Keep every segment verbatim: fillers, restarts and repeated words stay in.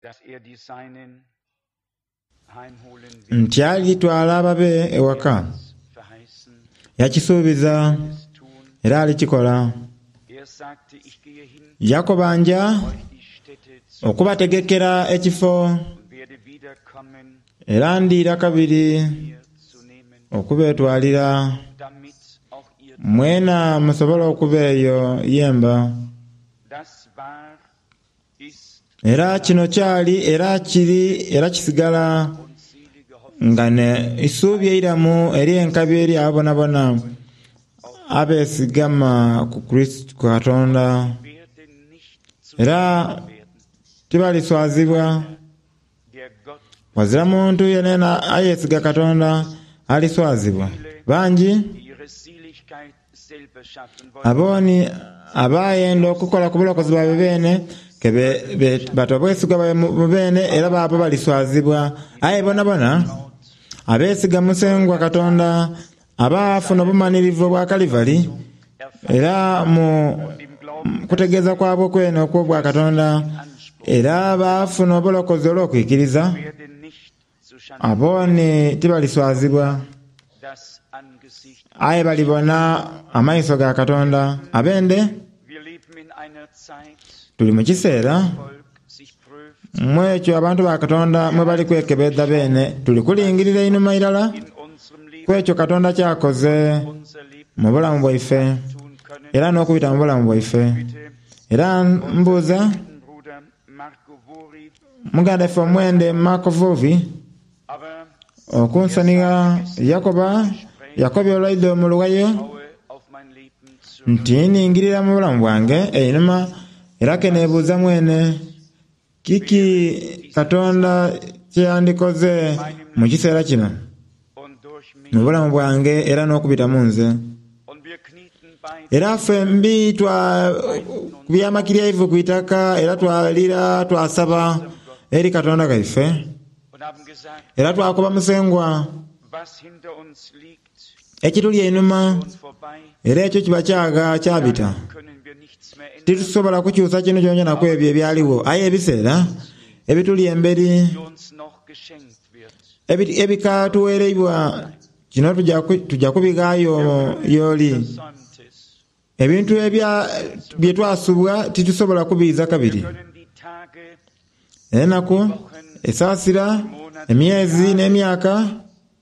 dass er die Seinen heimholen wird, Nti alitwala ababe ewaka. verheißen, Yakisuubiza es tun. era alikikola. Er sagte, ich gehe hin, Yakoba nja euch die Stätte zu okubategekera ekifo und werde wiederkommen, era ndiira kabiri mir zu nehmen, okubeetwalira damit auch ihr. mwena musobole okuba eyo yemba. Das war, ist Era kino kyali era kiri era kisigala und selige Hoffnung nga ne isuubi eiramu eri enkabi eri abonabona abeesigama ku Kristo ku Katonda werden nicht zu era werden, tibaliswazibwa. der Gott Wazira muntu yenena ayeesiga Katonda aliswazibwa. Bangi die ihre Seligkeit selber schaffen wollen, abooni abayenda okukola ku bulokozi bwabwe beene ke be- be- bata obwesigwa bwabwe mu mu beene era baabo baliswazibwa. Aye bonabona abeesiga Musengwa Katonda abaafuna obumanirivu obwa Kalivari era mu im Glauben kutegeeza kwabwe kwene okw'obwa Katonda era baafuna obulokozi olw'okwikiriza werden nicht zu Schande abooni tibaliswazibwa das Angesicht. aye balibona amaiso ga Katonda. Abende Wir leben in einer Zeit, tuli mu kiseera Volk sich prüft mwekyo abantu ba Katonda mwe bali kwekebedda beene tuli kulingirira einhuma irala in unserem Leben, kwekyo Katonda kyakoze unser Leben mu bulamu bwaife tun können. era n'okubita mu bulamu bwaife. Bitte, Era mbuuza Bruder Marco Vori, muganda ffe omwende Marco Vuvi aber okunsonigha Yakoba Yakobi olwaidde mu luwayo schaue auf mein Leben zurück. nti ningirira mu bulamu bwange einhuma era ke neebuuza mwene kiki Katonda kyeyandikoze mu kiseera kino und durch mich. mu bulamu bwange era n'okubita mu nze. Und wir knieten beide Era ffembi twakubya ivu ku itaka era twalira twasaba eri Katonda gaife und haben gesagt, era twakuba Musengwa was hinter uns liegt, ekituli einhuma uns vorbei, era ekyo kiba kyaga kyabita. können wir nichts mehr ändern, Titusobola kukyusa kino kyonkyona ku ebyo ebyaliwo aye ebiseera ebituli emberi die uns noch geschenkt wird. ebi- ebikatuweereibwa kino tujja ku- tujja kubighaayo y'oli. Versäumt es. Ebintu ebya bye twasubwa titusobola kubiiza kabiri. Wir können die Tage, Enaku, esaasira, emyezi n'emyaka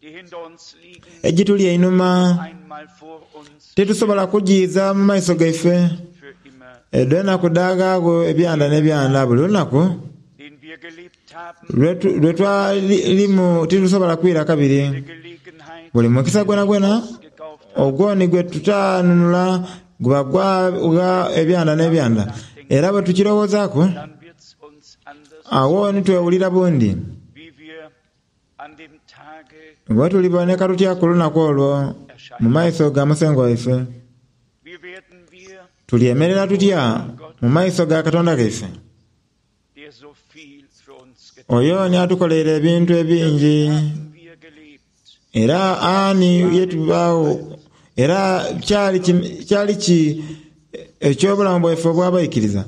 die hinter uns liegen, egituli einhuma einmal vor uns titusobola kugiiza mu maiso gaife. für immer, Eddo enaku daagaago ebyanda n'ebyanda buli lunaku den wir gelebt haben, lwe lwe twalimu titusobola kwira kabiri. die Gelegenheit Buli mukisa gwenagwena gekauft ogwoni gwe tutanunula guba gwaga ebyanda n'ebyanda era bwe tukirowoozaaku dann wird's uns anders, awo ni twewulira bundi wie wir an dem Tage, bwe tuliboneka tutya ku lunaku olwo mu maiso ga Musengwa waife. wie werden wir, Tulyemerera tutya mu maiso ga Katonda gaife der so viel für uns getan oyo ni atukoleire ebintu ebingi haben wir gelebt, era ani yetubaawo era kyali ki- kyali ki ekyobulamu bwaife obw'abaikiriza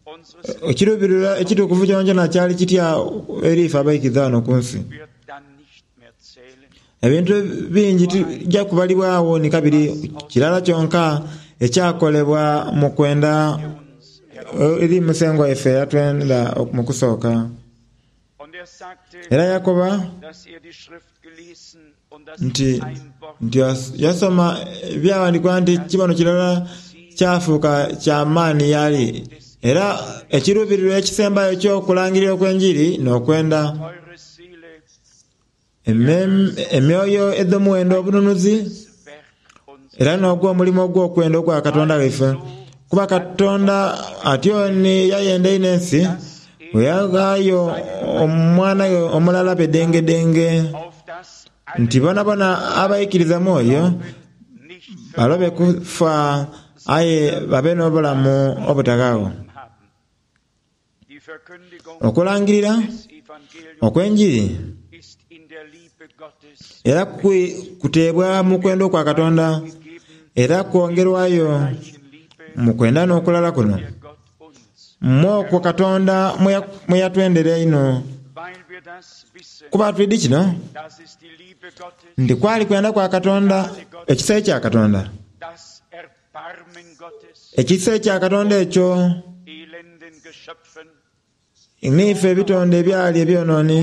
unseres ekiruubirira ekitukuvu kyonkyona kyali kitya eri ife abaikiriza wano ku nsi. wird dann nicht mehr zählen. Ebintu bingi tijja kubalibwawo ni kabiri kirala kyonka ekyakolebwa mu kwenda Uns heraus. eri Musengwa waife yatwenda mu kusooka. Und er sagte, Era yakoba dass er die Schrift gelesen und dass nti ein Wort nti yas- yasoma ebyawandiikibwa nti kibono kirala kyafuuka kyamaani yali era ekiruubirirwa ekisembayo eky'okulangirira okw'enjiri n'okwenda teure Seele Emem- emyoyo edh'omuwendo obununuzi Werk uns era n'ogw'omulimu ogw'okwenda ogwa Katonda waife. Kuba Katonda atyo ni yayenda einho ensi bwe yaghaayo omwana we omulala bedengedenge auf das alle nti bonabona abaikiriza mwoyo nicht balobe kufa aye babe n'obulamu obutagaawo. haben. Die Verkündigung Okulangirira des Evangeliums okw'enjiri ist in der Liebe Gottes era kwi- kuteebwa mu kwenda okwa Katonda gegeben, era kwongerwayo gleichen Liebe, mu kwenda n'okulala kuno der Gott uns Mwokwo Katonda mwe yatwendera einho. Kuba twidi kino nti kwali kwenda kwa Katonda, ekisa ekya Katonda, ekisa ekya Katonda ekyo niife ebitonde ebyali ebyononi,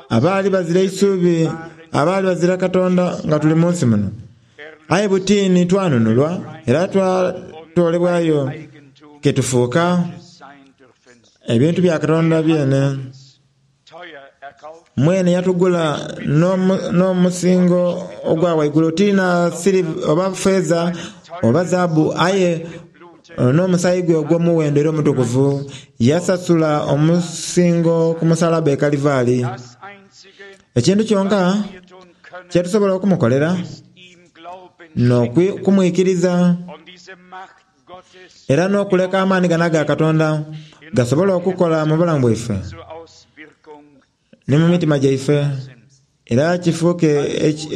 abaali bazira isubi, abaali bazira Katonda nga tuli mu nsi muno. Aye butini twanunulwa era twatolebwayo ketufuuka ebintu bya Katonda byene. Mwene yatugula n'omusingo ogwa waigulu, tina siliva oba feeza oba zaabu, aye n'omusaayi gwe ogw'omuwendo era omutukuvu yasasula omusingo ku musalaba e Kalivaali. Ekintu kyonka kyetusobola okumukolera n'okumwikiriza era n'okuleka amaani gano aga Katonda gasobola okukola mu bulamu bwaife ni mu mitima gyaife, era kifuuke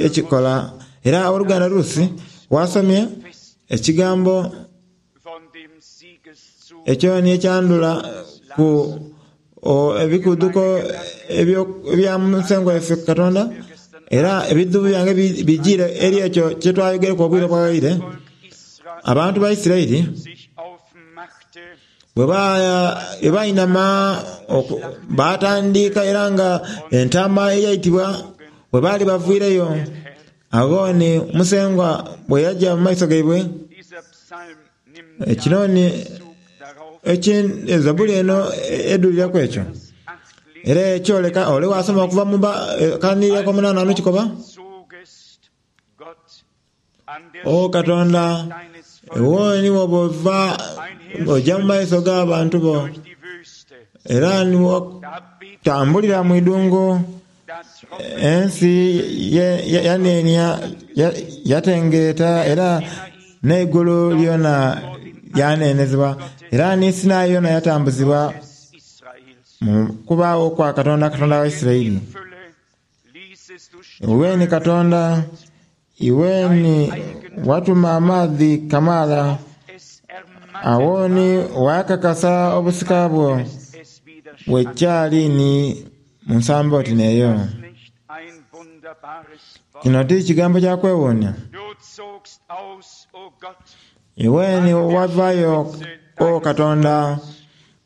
ekikola. Era oluganda Rusi wasomye ekigambo ekyo ni ekyandula ku ebikuduko ebya Musengwa waife Katonda, era ebidhubu byange bijire eri ekyo kyetwayogereku obwire bwaire. Abantu ba Isiraeli bwe bainama batandika, era nga entama eyaitibwa bwe baali baviireyo, agho ni Musengwa bwe yaja mu maiso gaibwe. Kino ni Zabuli eno edhuliraku ekyo, era ekyoleka ole wasoma okuva mu kanirira omunana ano kikoba, O Katonda, iwe niwe bw'ova oja mu maiso g'abantu bo, era niwotambulira mu idungu, ensi yanenia yatengeeta, era n'eigulu lyona lyanenezebwa, era ni Sinai yona yatambuzibwa mu kubaawo kwa Katonda, Katonda wa Isiraeli. Iwe ni Katonda, iwe ni watuma amaadhi kamaala, awo ni wakakasa obusika bwo bwekyali ni mu nsambo oti n'eyo. Kino ti kigambo kya kwewuunia. Iwe ni wavaayo, o Katonda,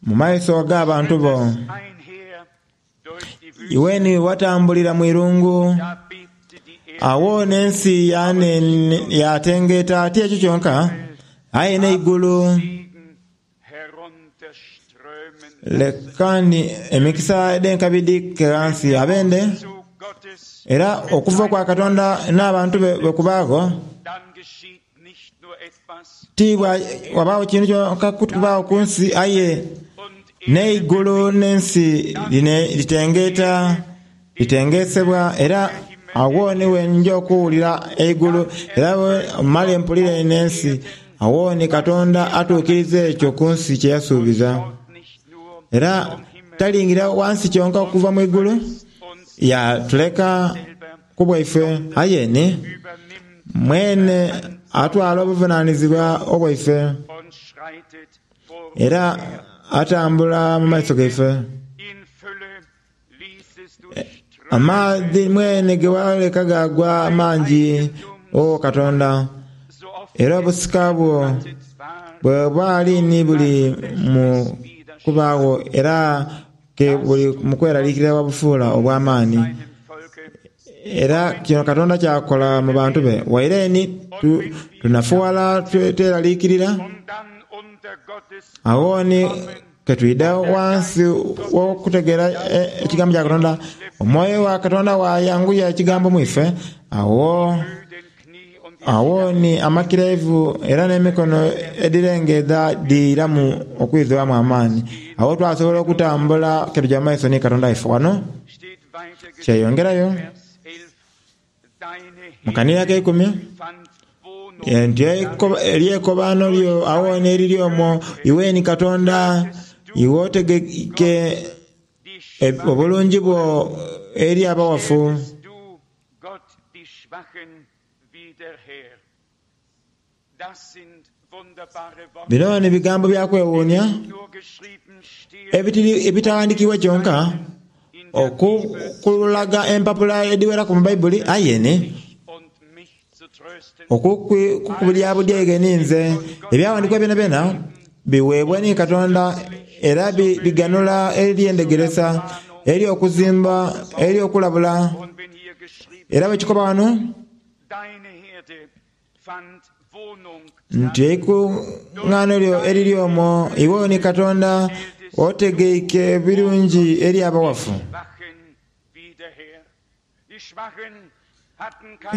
mu maiso g'abantu bo. Iwe ni watambulira mu irungu, awo n'ensi yatengeeta ti ekyo kyonka, aye n'eigulu. Lekani emikisa edh'enkabi dhike ghansi abende, era okuva kwa Katonda n'abantu be bwe kubaagho, ti wabaawo kintu kyonka kubaawo ku nsi, aye n'eigulu n'ensi litengeeta, litengeesebwa. Era agho ni wenja okuwulira eigulu, era male mpulire n'ensi. Agho ni Katonda atuukiriza ekyo ku nsi kye yasuubiza. Era talingira wansi kyonka okuva mu igulu yatuleka ku bwaife, aye ni mwene atwala obuvunaanyizibwa obwaife era atambula mu maiso gaife. Amaadhi mwene ge waleka gagwa mangi, o Katonda, era obusika bwo bwe bwali ni buli mu kubaagho, era ke buli mu kweraliikirira wabufuula obw'amaani. Era kino Katonda kyakola mu bantu be. Waire ni tunafuwala tweraliikirira, agho ni ketwida wansi w'okutegeera ekigambo kya Katonda, omwoyo wa Katonda wayanguya ekigambo mwife. Agho agho ni amakirevu era n'emikono edhirengedha dhiiramu okwidhwamu amaani. Agho twasobola okutambula ketuja mu maiso ni Katonda waife. Wano kyeyongerayo mu kanira ak'eikumi nti eryekobaano lyo agho n'eriri omwo, iwe ni Katonda, iwe otegeke obulungi bwo eri abawafu. Bino ni bigambo bya kwewuunya ebitawandikibwa kyonka okukulaga empapula ediweraku mu Baibuli aye ni okukubulya budyaige ninze ebyawandikibwa byona byona biweebwa ni Katonda era biganula eri endegeresa, eri okuzimba, eri okulabula. Era bwekikoba wano nti eikuŋŋaano lyo eriri omwo iwe ni Katonda otegeike birungi eri abawafu.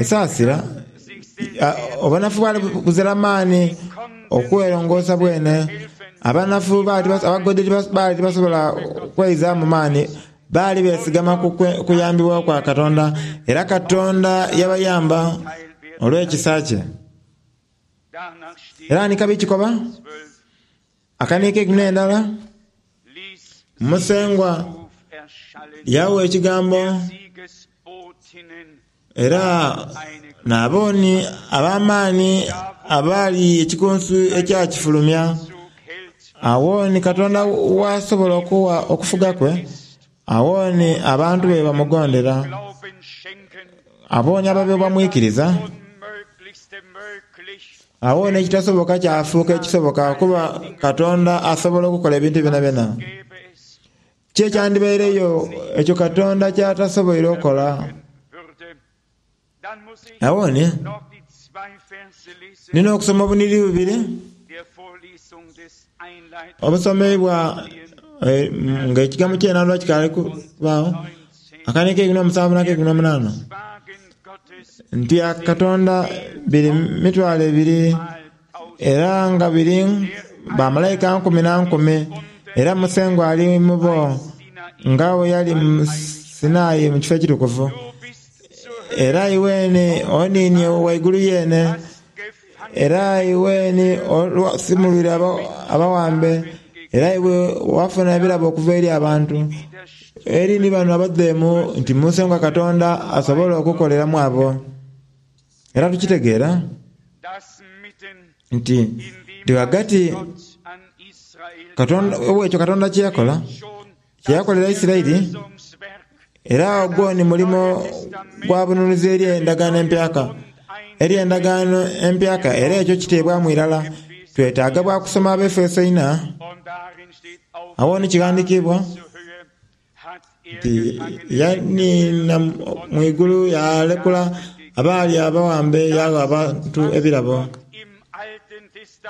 Esaasira obunafu bwali buzira maani okwerongoosa bwene. Abanafu abagodi baali tibasobola kweizaamu maani, baali beesigama ku kuyambibwa kwa Katonda era Katonda yabayamba olw'ekisa kye. Era ni kabi kikoba akaniika eikumi n'endala Musengwa yawa ekigambo era n'abooni ab'amaani abaali ekikunsu ekyakifulumya. Awo ni Katonda wasobola okuwa okufuga kwe, awo ni abantu be bamugondera, abooni ababe bamwikiriza. Awo n'ekitasoboka kyafuuka ekisoboka kuba Katonda asobola okukola ebintu byonabyona. Ki ekyandibaireyo ekyo Katonda kyatasoboire okukola? Awo ni nina okusoma obuniri bubiri obusomeibwa nga ekigambo ky'enandwa kikaali kubaawo, akaniika eikumi n'omusanvu n'akeikumi n'omunaana nti Katonda biri mitwalo ebiri era nga biri bamalayika nkumi na nkumi era Musengwa ali mu bo nga bwe yali mu Sinai mu kifo ekitukuvu. Era iweni oniinie waigulu yene, era iweni osimulwire abawambe, era iwe wafuna ebirabo okuva eri abantu. Eri ni bano abadheemu nti Musengwa Katonda asobola okukoleramu abo. Era tukitegeera nti nti ghagati Katonda ekyo Katonda kye yakola kye yakolera Isiraeli, era ogwo ni mulimo gwa bununuzi eri endagaano empyaka. Eri endagaano empyaka era ekyo kiteebwamu irala. Twetaaga bwa kusoma Abaefeso ina. Awo ni kighandiikibwa nti yaniina mu igulu yalekula abaali abawambe yagha abantu ebirabo.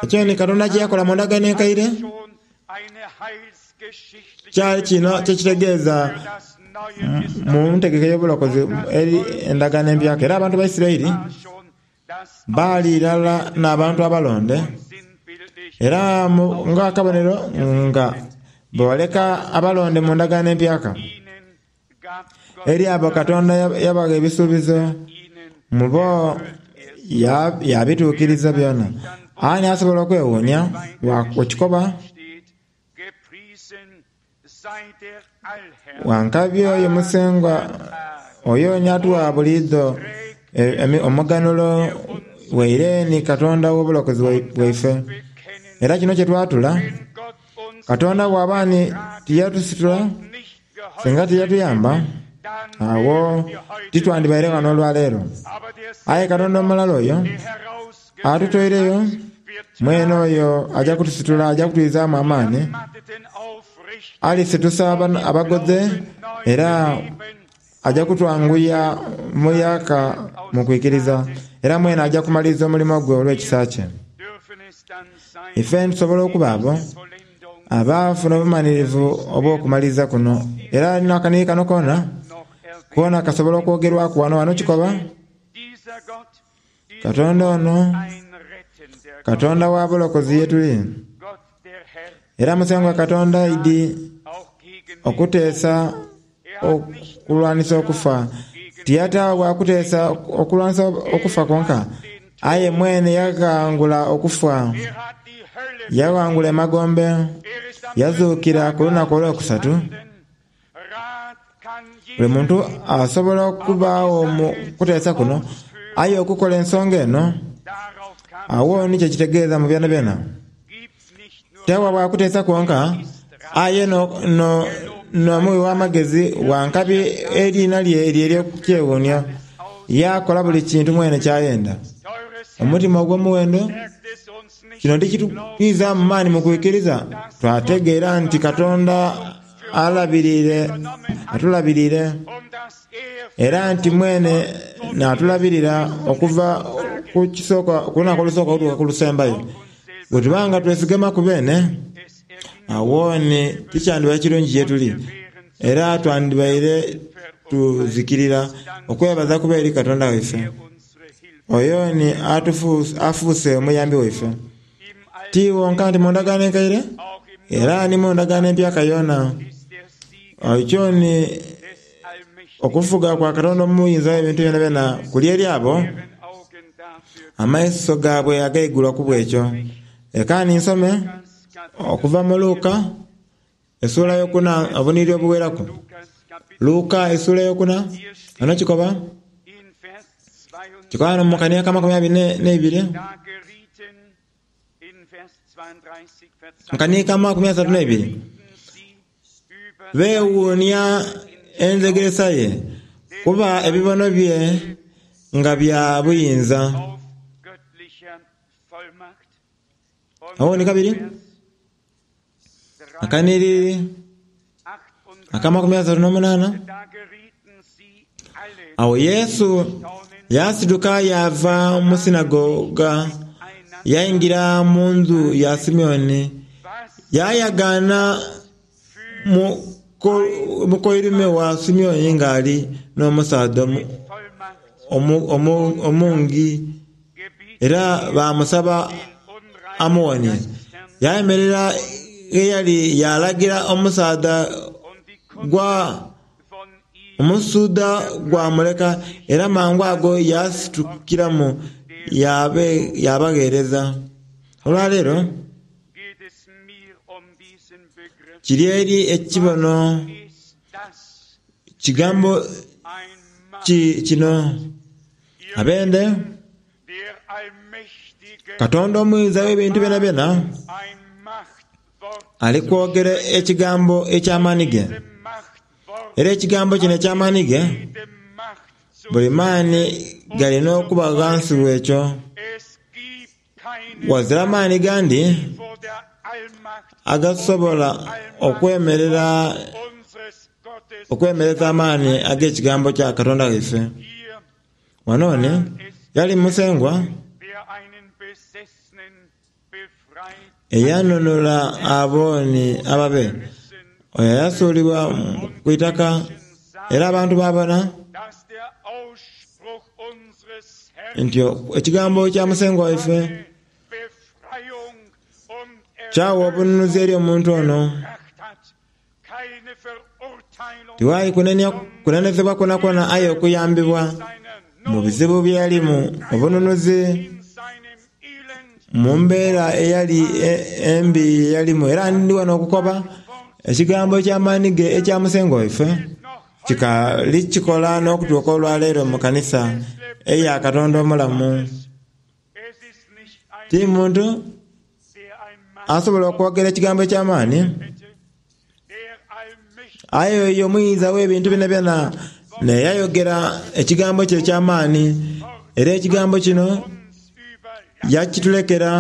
Ekyo ni Katonda kye yakola mu ndagaano enkaire kyali kino kyekitegeeza mu ntegeka ey'obulokozi eri endagaano empyaka. Era abantu ba Isiraeli baali irala n'abantu abalonde era nga akabonero nga bwewaleka abalonde mu ndagaano empyaka. Eri abo Katonda yabagha ebisuubizo mu bo yabituukiriza byona. Ani asobola okwewuunya okikoba? Wankabi oyo Musengwa oyo ni atuwa buliidho omuganulo waire ni Katonda w'obulokozi bwaife. Era kino kye twatula, Katonda bw'aba ni tiyatusitula singa tiyatuyamba, awo titwandibaire ghano olwaleero. Aye Katonda omulala oyo atutoireyo mwene oyo ajja kutusitula, ajja kutwizaamu amaani, alisitusa abagodhe era ajja kutwanguya muyaka mu kwikiriza, era mwene ajja kumaliriza omulimo gwe olw'ekisa kye. Ife tusobola okuba abo abaafuna obumanirivu obw'okumaliriza kuno. Era n'akaniiri kano koona koona kasobola okwogerwaku wano wano kikoba Katonda ono Katonda wa bulokozi ye tuli. Era Musengwa Katonda aidi okuteesa okulwanisa okufa. Tiyataawo bwa kuteesa okulwanisa okufa kwonka, aye mwene yaghangula okufa, yaghangula emagombe, yazuukira ku lunaku olwokusatu. Buli muntu asobola okubaawo mu kuteesa kuno, aye okukola ensonga eno Awo nikyo kitegeeza mu byona byona. Tewa bwakuteesa kwonka aye n'omuwi w'amagezi wankabi eriina lye eryo ery'okukyewuunhya yakola buli kintu mwene kyayenda. Omutima ogw'omuwendo kino tikitwizaamu maani mu kwikiriza twategeera nti Katonda alabirire atulabirire era nti mwene n'atulabirira okuva ku kisooka ku lunaku olusooka okutuuka ku lusembayo. Bwe tuba nga twesigama ku beene awo ni tikyandibaire kirungi ye tuli era twandibaire tuzikirira. Okwebaza kuba eri Katonda waife oyo ni afuuse omuyambi waife ti wonka nti mu ndagaano enkaire era ni mu ndagaano empyaka yona. Ekyo ni okufuga kwa Katonda omuyinza w'ebintu byonabyona kuli eri abo amaiso gaabwe agaigulwa ku bwekyo. Leka nsome okuva mu Luka essuula yokuna obunhiriri obuweraku. Luka essuula yokuna ano kikoba kikoba mu kania ka makumi abiri n'eibiri mu kania ka makumi asatu n'eibiri beewuunia enzegeresa ye kuba ebibono bye nga bya buyinza. Awo ni kabiri akanhiriri akamakumi asatu n'omunaana awo Yesu yasituka yaava mu sinagoga yaingira mu ndhu ya Simioni yayagaana mukoirume wa Simioni nga ali n'omusaadha omungi era baamusaba amuwonie. Yayemerera gheyali yalagira omusaadha gwa omusuudha gwamuleka era mangu ago yasitukiramu yabagheereza. Olwaleero kiri eri ekibono kigambo ki kino abende Katonda omuyinza w'ebintu byonabyona ali kwogera ekigambo eky'amaani ge era ekigambo kino eky'amaani ge buli maani galina okuba ghansi w'ekyo. Wazira maani gandi agasobola okwemerera okwemereza amaani ag'ekigambo kya Katonda waife. Wano ni yali Musengwa eyanunula abo ni ababe oyo ayasuulibwa ku itaka era abantu baabona nti ekigambo kya Musengwa waife kyawa obununuzi eri omuntu ono. Tiwali kunenia kunenezebwa kwonakwo aye okuyambibwa mu bizibu bye yalimu obununuzi mu mbeera eyali embi yeyalimu. Era ndi wano okukoba ekigambo eky'amaani ge ekya Musengwa waife kikaali kikola n'okutuuka olwaleero mu kanisa eya Katonda omulamu. Ti muntu asobola okwogera ekigambo eky'amaani aye oyo omuyinza w'ebintu byonabyona neyayogera ekigambo kye eky'amaani era ekigambo kino yakitulekera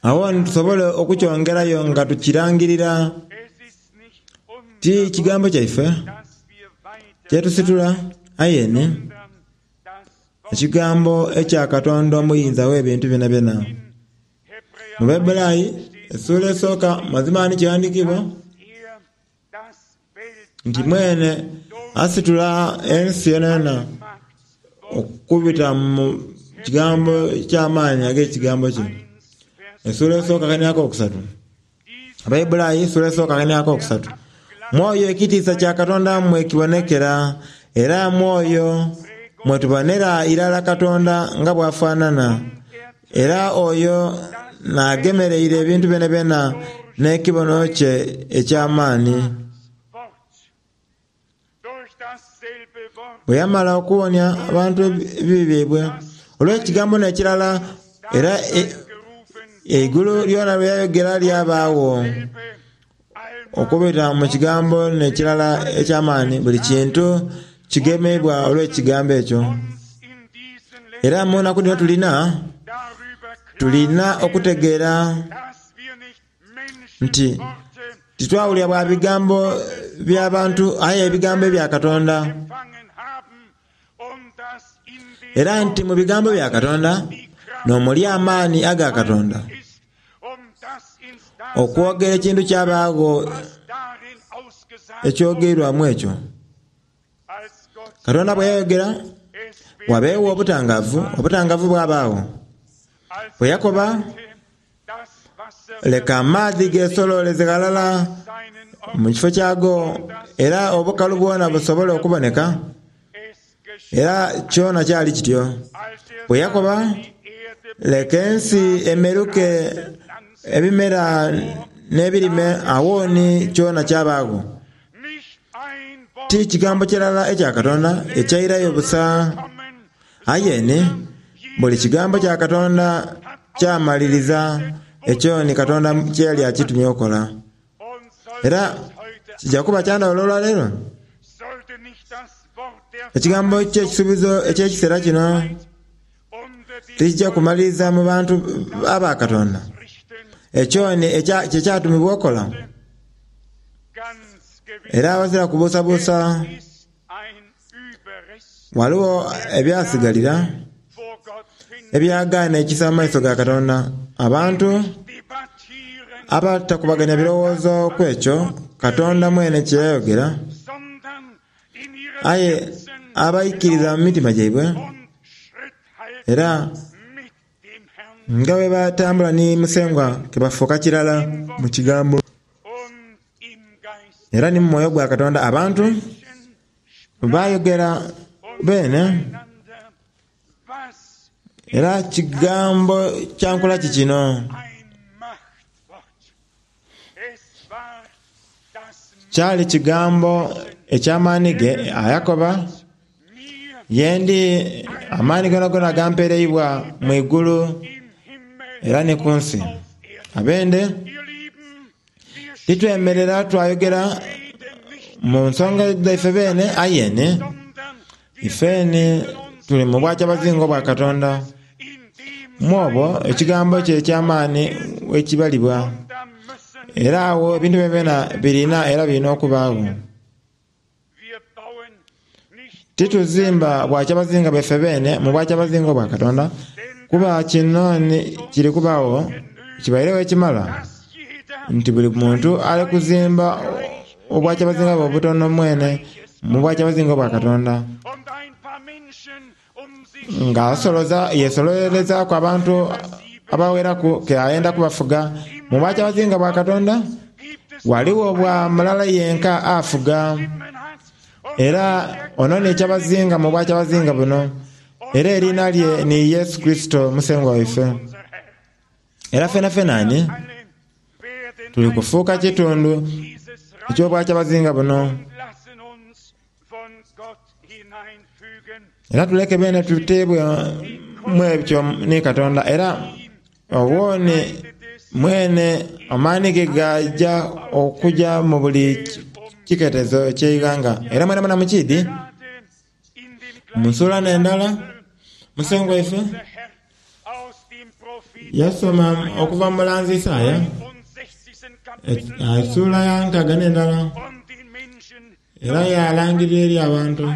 awo nitusobole okukyongerayo nga tukirangirira. Ti kigambo kyaife kyetusitula aye ni ekigambo ekya Katonda omuyinza w'ebintu byonabyona. Mu Baibulayi essuula esooka mazima ni kighandiikibwa nti mwene asitula ensi yonayona okubita mu kigambo eky'amaani ag'ekigambo kye. Essuula esooka akania akokusatu Abaibulayi essuula esooka akania akokusatu mwoyo ekitiisa kya Katonda mwekibonekera era mwoyo mwetubonera irala Katonda nga bw'afaanana era oyo n'agemereire ebintu byonabyona n'ekibono kye eky'amaani. Bwe yamala okuwonia abantu ebibi byaibwe Olw'ekigambo n'ekirala era eigulu lyona lwe yayogera lyabaawo. Okubita mu kigambo n'ekirala eky'amaani, buli kintu kigemebwa olw'ekigambo ekyo. Era mu nnaku dhino tulina tulina okutegeera nti titwawulira bwa bigambo by'abantu aye ebigambo ebya Katonda. Era nti mu bigambo bya Katonda n'omuli amaani aga Katonda okwogera ekintu kyabaagho ekyogeirwamu ekyo. Katonda bwe yayogera wabeewo obutangavu, obutangavu bwabaagho. Bwe yakoba, leka amaadhi gesololeze ghalala mu kifo kyago era obukalu bwona busobole okuboneka. Era kyona kyali kityo. Bwe yakoba, leka ensi emeruke ebimera n'ebirime awooni kyona kyabaagho. Ti kigambo kirala ekya Katonda ekyairayo busa, aye ni buli kigambo kya Katonda kyamaliriza ekyo ni Katonda kye yali akitumye okola. Era kijja kuba kya ndhawulo olwaleero. Ekigambo ky'ekisuubizo eky'ekiseera kino tikijja kumaliriza mu bantu aba Katonda. Ekyo ni kye kyatumibwa okola. Era awazira kubuusabuusa ghaligho ebyasigalira ebyagaana ekisa mu maiso ga Katonda. Abantu abatakubaganya birowoozo ku ekyo Katonda mwene kye yayogera, aye abaikiriza mu mitima gyaibwe era nga bwe batambula ni Musengwa ke bafuuka kirala mu kigambo era ni mu mwoyo gwa Katonda. Abantu bayogera beene era kigambo kya nkola ki kino? Kyali kigambo eky'amaani ge ayakoba, yendi amaani gonagona gampereibwa mu igulu era ni ku nsi. Abende titwemerera twayogera mu nsonga dhaife beene, aye ni ifeni tuli mu bwakyabazinga bwa Katonda. Mu obwo ekigambo kye eky'amaani wekibalibwa. Era awo ebintu byona birina era birina okubaagho. Tituzimba bwakyabazinga bwaife beene mu bwakyabazinga bwa Katonda, kuba kino kiri kubaagho kibairegho ekimala nti buli muntu ali kuzimba obwakyabazinga bwe obutono mwene mu bwakyabazinga bwa Katonda, nga asoloza yesololerezaaku abantu abaweraku ke ayenda kubafuga mu bwakyabazinga bwa Katonda. Ghaligho bwa mulala yenka afuga, era ono ni kyabazinga mu bwakyabazinga buno, era eriina lye ni Yesu Kurisito Musengwa waife. Era fenafena ni tuli kufuuka kitundu eky'obwakyabazinga buno. Era tuleke bene tuteebwe mu ebyo ni Katonda, era obwoni mwene amaani ge gaja okuja mu buli kiketezo eky'eighanga. Era mwenamwena mukiidhi, mu nsula n'endala, Musengwa waife yasoma okuva mu mulanzi Isaaya esula ya nkaaga n'endala, era yalangirira eri abantu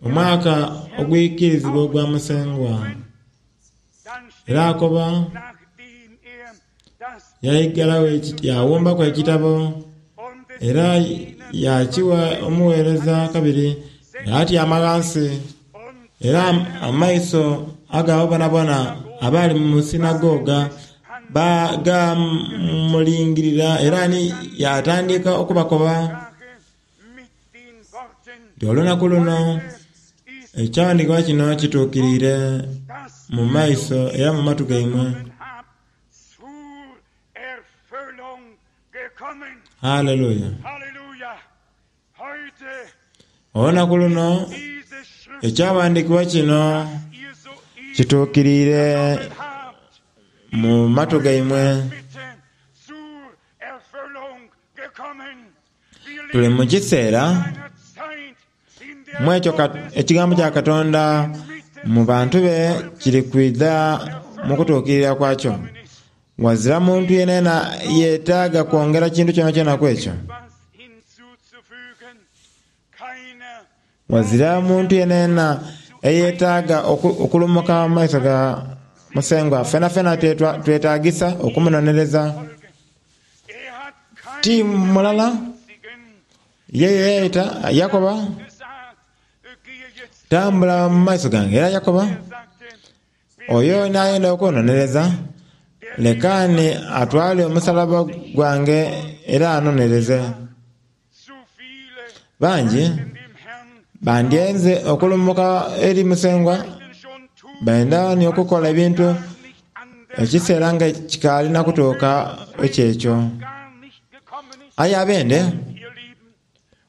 omwaka ogwikirizibwa ogwa Musengwa. Era akoba yaigalawo yawumbaku ekitabo era yakiwa omuweereza kabiri yatyama ghansi. Era amaiso ag'abo bonabona abaali mu sinagoga gamulingirira, era ni yatandika okubakoba nti olunaku luno ekyawandiikibwa kino kituukiriire mu maiso era mu matu gaimwe. Haleluya! Olunaku luno ekyawandiikibwa kino Kituukiriire mu matu gaimwe. Mitte zur Erfüllung gekommen. Wir Tuli leben mu kiseera in einer Zeit, in der mu ekyo ka- ekigambo kya Katonda mu bantu be kiri kwidha mu kutuukirira kwakyo. Wazira muntu yenayena yeetaaga kwongera kintu kyonakyona ku ekyo. was hinzuzufügen. Keiner Wazira muntu yenayena eyeetaaga oku- okulumuka mu maiso ga Musengwa. Fena fena twetwa- twetaagisa okumunonereza. Folge. Er hat Ti keinen mulala einzigen ye yeeyeta Yakoba gesagt, gehe jetzt. tambula mu maiso gange. Era Yakoba Er sagte, oyo n'ayenda okwononereza lekaani atwale omusalaba gwange era anonereze. zu viele Bangi in dem Herrn bandyenze okulumuka eri Musengwa möchten schon tun, benda ni okukola ebintu gar nicht anders, ekiseera nga kikaalina kutuuka ekyekyo. gar nicht gekommen ist. Aye abende Ihr Lieben,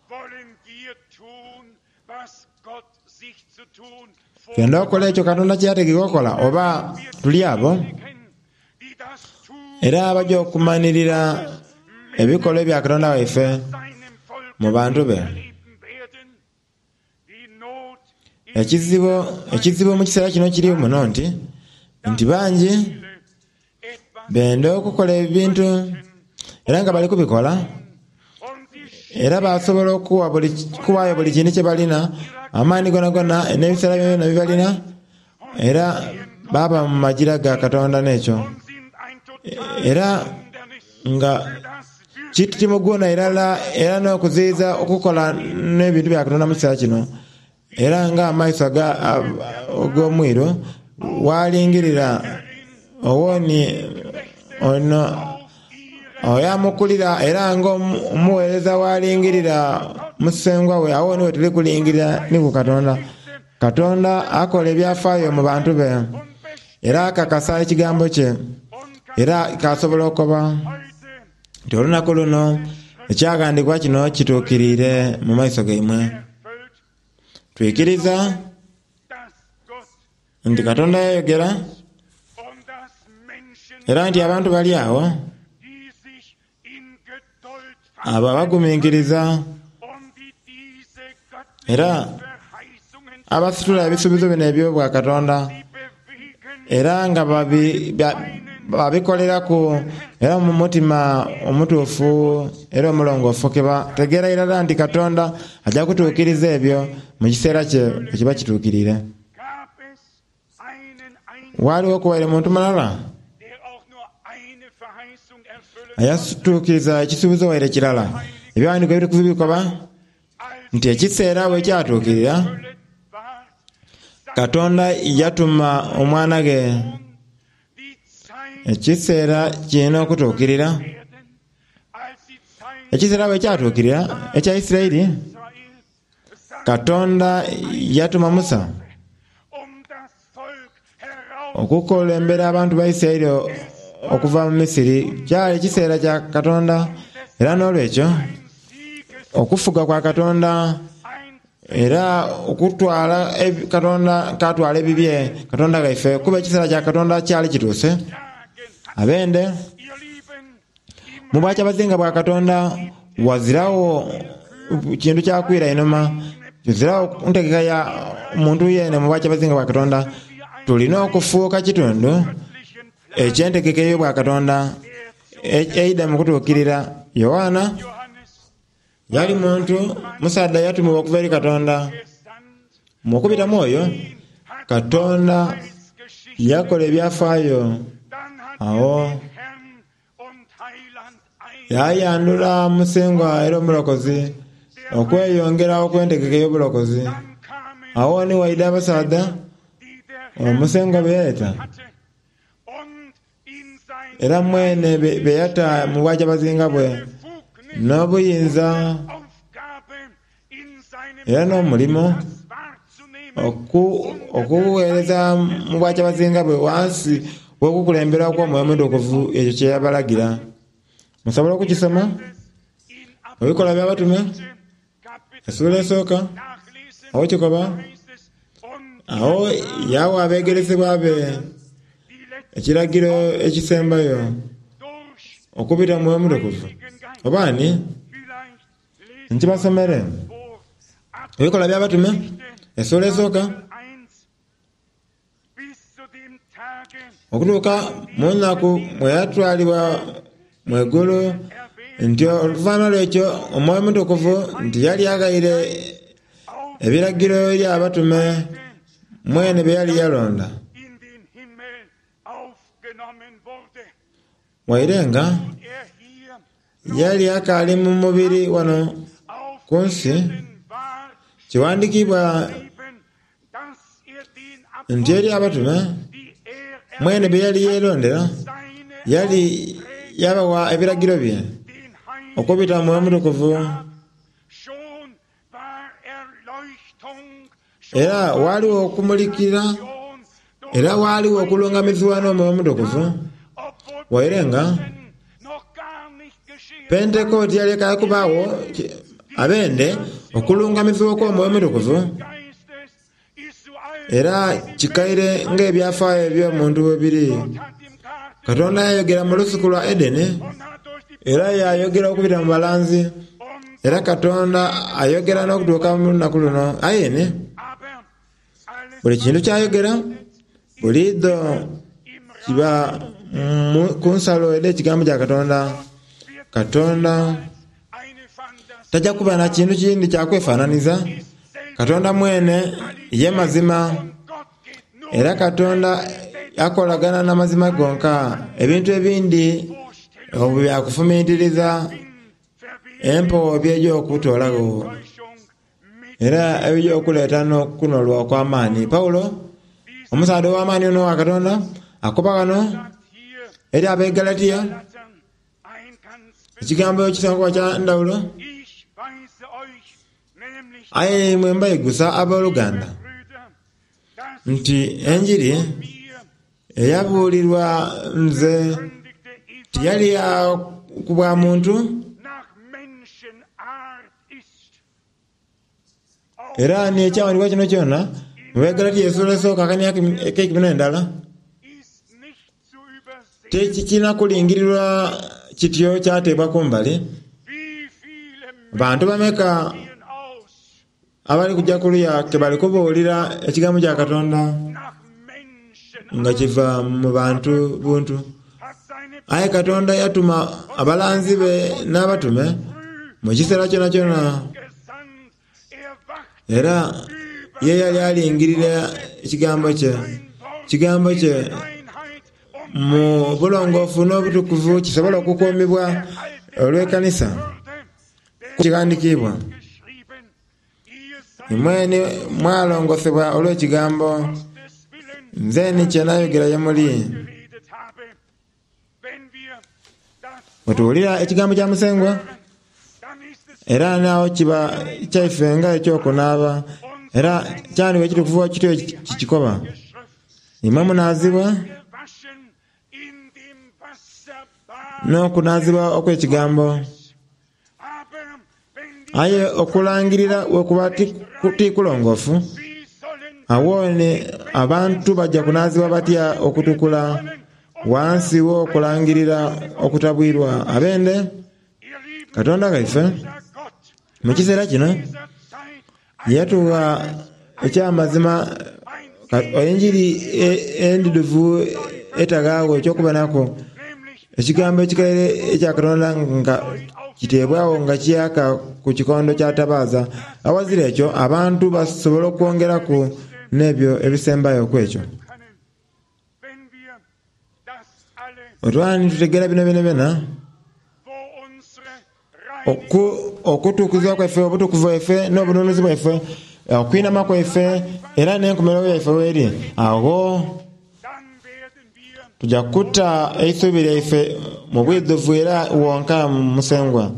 wollen wir tun, was Gott sich zu tun twenda okukola ekyo Katonda kye yategeka okukola oba tuli abo die das tun, era abajja okumanirira ebikolwa ebya Katonda waife seinem Volk mu bantu be. erleben werden. Die Not ist Ekizibu ekizibu mu kiseera kino kiri muno nti nti bangi viele etwas benda okukola ebintu era nga bali kubikola und die era basobola okuwa buli kuwaayo buli kintu kye balina amaanyi gonagona n'ebiseera byona bye balina era baaba mu magira ga Katonda n'ekyo und sind ein totales era Hindernis nga für das wirklich kitimuguna irala era n'okuziyiza okukola n'ebintu bya Katonda mu kiseera kino era ng'amaiso aga- ag'omwiru walingirira owoni ono oyo amukulira era ng'omuweereza walingirira musengwa we awo niwe tuli kulingirira ni ku Katonda. Katonda akola ebyafaayo mu bantu be und era akakasa ekigambo kye und era kasobola okuba heute nti olunaku luno ekyagandikwa kino kituukiriire mu maiso gaimwe. erfüllt, Twikiriza dass Gott nti Katonda yayogera und dass Menschen, era nti abantu bali awo die sich in Geduld abo abagumiikiriza und die diese göttlichen era Verheißungen abasitula ebisuubizo bino eby'obwa Katonda sie bewegen, era nga babi- ba- babikoleraku era mu mutima omutuufu era omulongoofu ke bategeera irala nti Katonda ajja kutuukiriza ebyo mu kiseera kye ekiba kituukirire. gab es einen einzigen, Waaliwo okuwaire muntu mulala der auch nur eine Verheißung erfüllen ayatuukiriza ekisuubizo waire kirala. Ebyawandiiko ebitukuvu bikoba als nti ekiseera bwe kyatuukirira erfüllet war, Katonda yatuma omwana ge. die Zeit Ekiseera kirina okutuukirira. werden, als die Zeit Ekiseera bwe kyatuukirira ekya Isirayiri Israel sank, Katonda yatuma Musa um das Volk heraus okukulembera abantu ba Isirayiri okuva mu Misiri. Kyali ekiseera kya Katonda era n'olwekyo ein Sieges, okufuga kwa Katonda ein era okutwala ebi- Katonda katwala ebibye Katonda gaife kuba ekiseera kya Katonda kyali kituuse. Tagen hat, Abende ihr Lieben, im mu bwakyabazinga bwa Katonda wazirawo kintu kyakwira inuma kizirawo ntegeka ya muntu yene mu bwakyabazinga bwa Katonda. Tulina okufuuka kitundu göttlichen Plan ekyentegeka ey'obwa Katonda e- eida mu kutuukirira. Yowaana Johannes yali muntu musaadha yatumibwa okuva eri Katonda. gesandt, Mu okubitamu oyo hat Katonda Heilsgeschichte. yakola ebyafaayo Dann hat awo er den Herrn und Heiland ein yayandula Musengwa era omulokozi okweyongera okwentegeka ey'obulokozi. Dann kamen Awo ni waida abasaadha die der Herr omusengwa be yayeta hatte und in sein era mwene be be yatta mu bwakyabazinga bwe Befugnis n'obuyinza Aufgabe in seinem era n'omulimo das wahrzunehmen oku- okuweereza mu bwakyabazinga bwe wansi w'okukulembera kw'Omwoyo Omutukuvu ekyo kye yabalagira. Musobola okukisoma in Ebikolwa by'Abatume Kapitel essuula esooka nachlesen awo kikoba heißt es, und Awo yawa abeegeresebwa be ekiragiro ekisembayo okubita mu Mwoyo Mutukuvu. Oba ni nkibasomere Ebikolwa by'Abatume essuula esooka okutuuka mu nnaku mwe yatwalibwa mu igulu, nti oluvannyuma lw'ekyo Omwoyo Omutukuvu nti yali aghaire ebiragiro eri abatume mwene bye yali yalonda. Waire nga yali akaali mu mubiri wano ku nsi, kiwandiikibwa nti eri abatume mwene bye yali yeerondera, yali yabawa ebiragiro bye okubita mu Mwoyo Omutukuvu. Era ghaligho okumulikira, era ghaligho okulungamizibwa n'Omwoyo Omutukuvu, waire nga Pentekooti yali ekaali kubaagho abende okulungamizibwa okw'Omwoyo Omutukuvu. Era kikaire ng'ebyafaayo eby'omuntu bwe biri. Katonda yayogera mu lusuku lwa Edeni, era yayogera okubita mu balanzi, era Katonda ayogera n'okutuuka mu lunaku luno. Aye ni buli kintu kyayogera buliidho kiba ku nsalo edh'ekigambo kya Katonda. Katonda taja kuba na kintu kindi kya kwefananiza. Katonda mwene ye mazima, era Katonda akolagana n'amazima gonka. Ebintu ebindi obwo bya kufumintiriza, empewo by'eja okutoolagho era ebija okuleeta n'okunolwa okw'amaani. Paulo, omusaadha ow'amaani ono owa Katonda, akoba ghano eri ab'e Galatia ekigambo ekisobola okuba kya ndhawulo. Aye imwe mbaigusa aboluganda nti enjiri eyabuulirwa nze tiyali ya ku bwa muntu, era ni ekyawandiikibwa kino kyona mu Bagalatia esula esooka akania ak'eikumi n'endala tikirina kulingirirwa kityo kyateebwa kumbali. Bantu bameka abali kuja kuluya ke bali kubuulira ekigambo kya Katonda nga kiva mu bantu buntu? Aye Katonda yatuma abalanzi be n'abatume mu kiseera kyonakyona, era ye yali alingirira ekigambo kye. Ekigambo kye mu bulongoofu n'obutukuvu kisobole okukuumibwa olw'ekanisa. Kighandikiibwa, Imwe mwalongosebwa olw'ekigambo nze ni kye nayogera ye muli. Bwe tuwulira ekigambo kya Musengwa, era n'agho kiba kyaife nga eky'okunaaba, era kyandibwa ekitukuvu kityo kikikoba. Imwe munaazibwa n'okunaazibwa okw'ekigambo. Aye okulangirira bwe kuba ti kulongoofu, agho ni abantu baja kunaazibwa batya okutukula ghansi w'okulangirira okutabwirwa? Abende Katonda ghaife mu kiseera kino yatugha eky'amazima enjiri endidhuvu etaghaagho eky'okubonaku ekigambo ekikaire ekya Katonda nga kiteebwagho nga kiyaka ku kikondo kya tabaaza. Awazira ekyo abantu basobola okwongeraku n'ebyo ebisembayo ku ekyo. Bwe twali nitutegeera bino byonabyona, okutukuzibwa kwaife, obutukuvu bwaife, n'obununuzi bwaife, okwinama kwaife, era n'enkomerero yaife w'eri, agho tuja kuta eisuubi lyaife mu bwidhuvu era wonka mu Musengwa.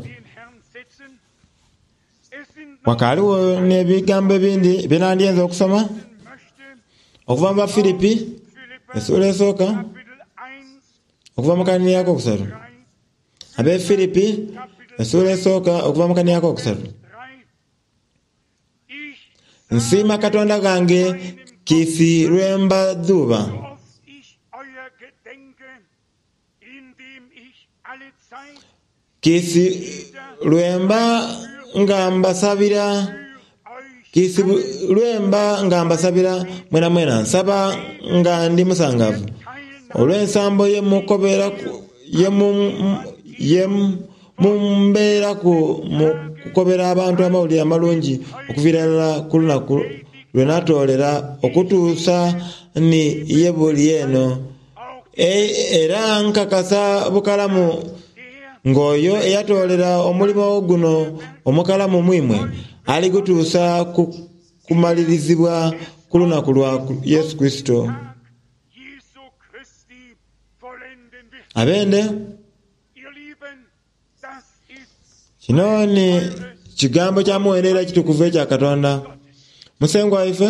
Ghakaaligho n'ebigambo ebindi bye nandyenze okusoma okuva mu Bafilipi essuula esooka okuva mu kanhiriri akokusatu. Ab'e Filipi essuula esooka okuva mu kanhiriri akokusatu. Nsiima Katonda ghange Kiisi lwemba dhuuba. Kiisi lwemba nga mbasabira, kiisi lwemba nga mbasabira mwena mwena nsaba nga ndi musangavu olw'ensambo ye mumbeeraku mu kukobera abantu Amawulire Amalungi okuviira irala ku lunaku lwe natoolera okutuusa ni ye buli eno. Era nkakasa bukalamu ng'oyo eyatoolera omulimo guno omukalamu mu imwe aligutuusa ku kumalirizibwa ku lunaku lwa Yesu Kurisito. Abende, kino ni kigambo kya muwendo era ekitukuvu ekya Katonda. Musengwa waife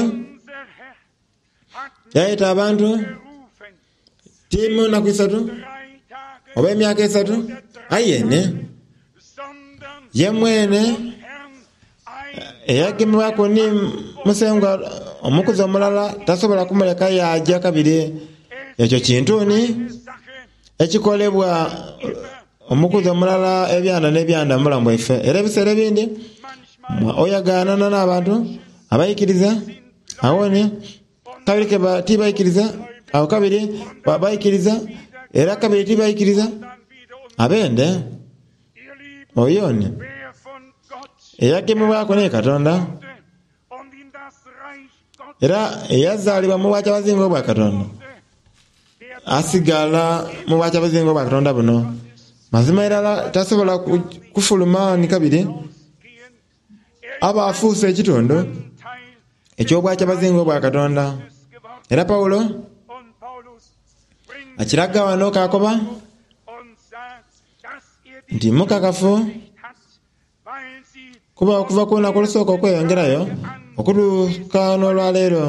yayeta abantu ti mu nnaku isatu oba emyaka esatu, aye ne ye mwene eyagemebwaku ni Musengwa omukuzi omulala tasobola kumuleka yaaja kabiri. Ekyo kintu ni ekikolebwa omukuzi omulala ebyanda n'ebyanda mu bulamu bwaife. Era ebiseera ebindi oyagaanana n'abantu abaikiriza awo ni kabiri tibaikiriza, awo kabiri baikiriza, era kabiri tibaikiriza. Abende oyo ni eyagemebwaku ni Katonda era eyazaalibwa mu bwakyabazinga obwa Katonda asigala mu bwakyabazinga obwa Katonda buno. Mazima irala tasobola kufuluma ni kabiri aba afuuse ekitundu eky'obwakyabazinga obwa Katonda. Era Pawulo akiraga wano k'akoba nti mukakafu kuba okuva ku lunaku olusooka okweyongerayo okutuuka n'olwaleero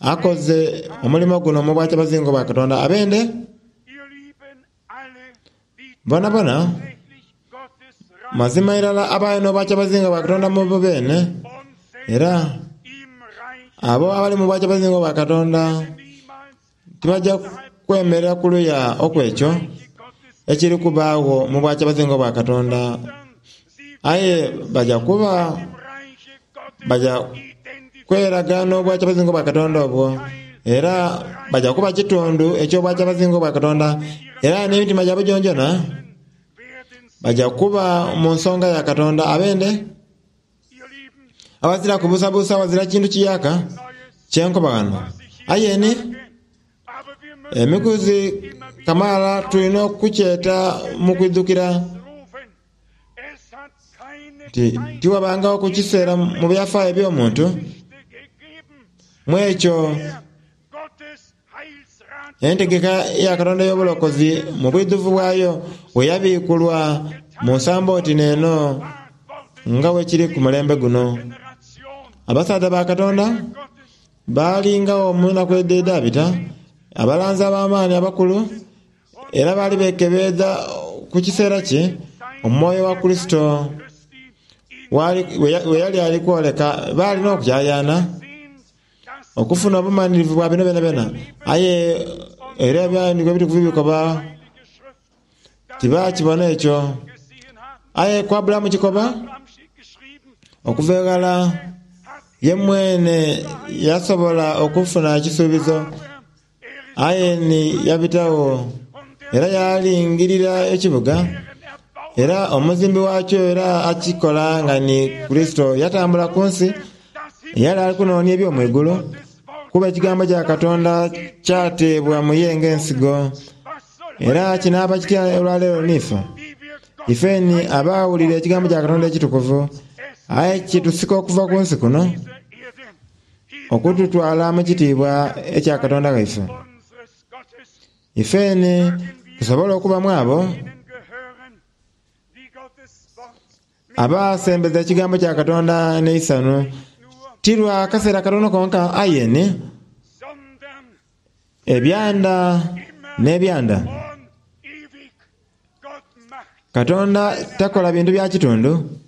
akoze omulimo guno mu bwakyabazinga obwa Katonda. Abende bonabona mazima irala abaye n'obwakyabazinga bwa Katonda mu bo beene, era abo abali mu bwakyabazinga obwa Katonda tibajja kwemerera ku luya okwekyo ekiri kubaagho mu bwakyabazinga obwa Katonda, aye baja kuba baja kweraga n'obwakyabazinga obwa Katonda obwo, era baja kuba kitundu eky'obwakyabazinga obwa Katonda, era n'emitima gyabwe gyongyona baja kuba mu nsonga ya Katonda. Abende awazira kubuusabuusa, awazira kintu kiyaaka kyenkoba ghano. Aye ni emikuzi kamaala tulina okukyeta mu kwidhukira nti tiwabangawo ku kiseera mu byafaayo eby'omuntu mu ekyo entegeka ya Katonda ey'obulokozi mu bwidhuvu bwayo bwe yabiikulwa mu nsambo oti n'eno nga bwekiri ku mulembe guno. Abasaadha ba Katonda baalingagho mu nnaku edhaabita, abalanzi ab'amaani abakulu, era baali bekebeedha ku kiseera ki omwoyo wa Kurisito we yali ali kwoleka. Baali n'okukyayaana okufuna obumanhirivu bwa bino byonabyona, aye era Ebyawandiikibwa Ebitukuvu bikoba tibakibona ekyo. Aye ku Aburahamu kikoba okuva eghala ye mwene yasobola okufuna ekisuubizo, aye ni yabitagho era yalingirira ekibuga, era omuzimbi wakyo era akikola nga ni Kurisito. Yatambula ku nsi yali ali kunoonia eby'omwigulu, kuba ekigambo kya Katonda kyateebwa mu ye ng'ensigo. Era kinaaba kitya olwaleero n'ife? Ife ni abaawulira ekigambo kya Katonda ekitukuvu, aye kitusika okuva ku nsi kuno okututwala mu kitiibwa ekya Katonda waife. Ife ni tusobola okuba mu abo abasembeza ekigambo kya Katonda n'eisanhu, ti lwa kaseera katono konka, aye ni ebyanda n'ebyanda. Katonda takola bintu bya kitundu,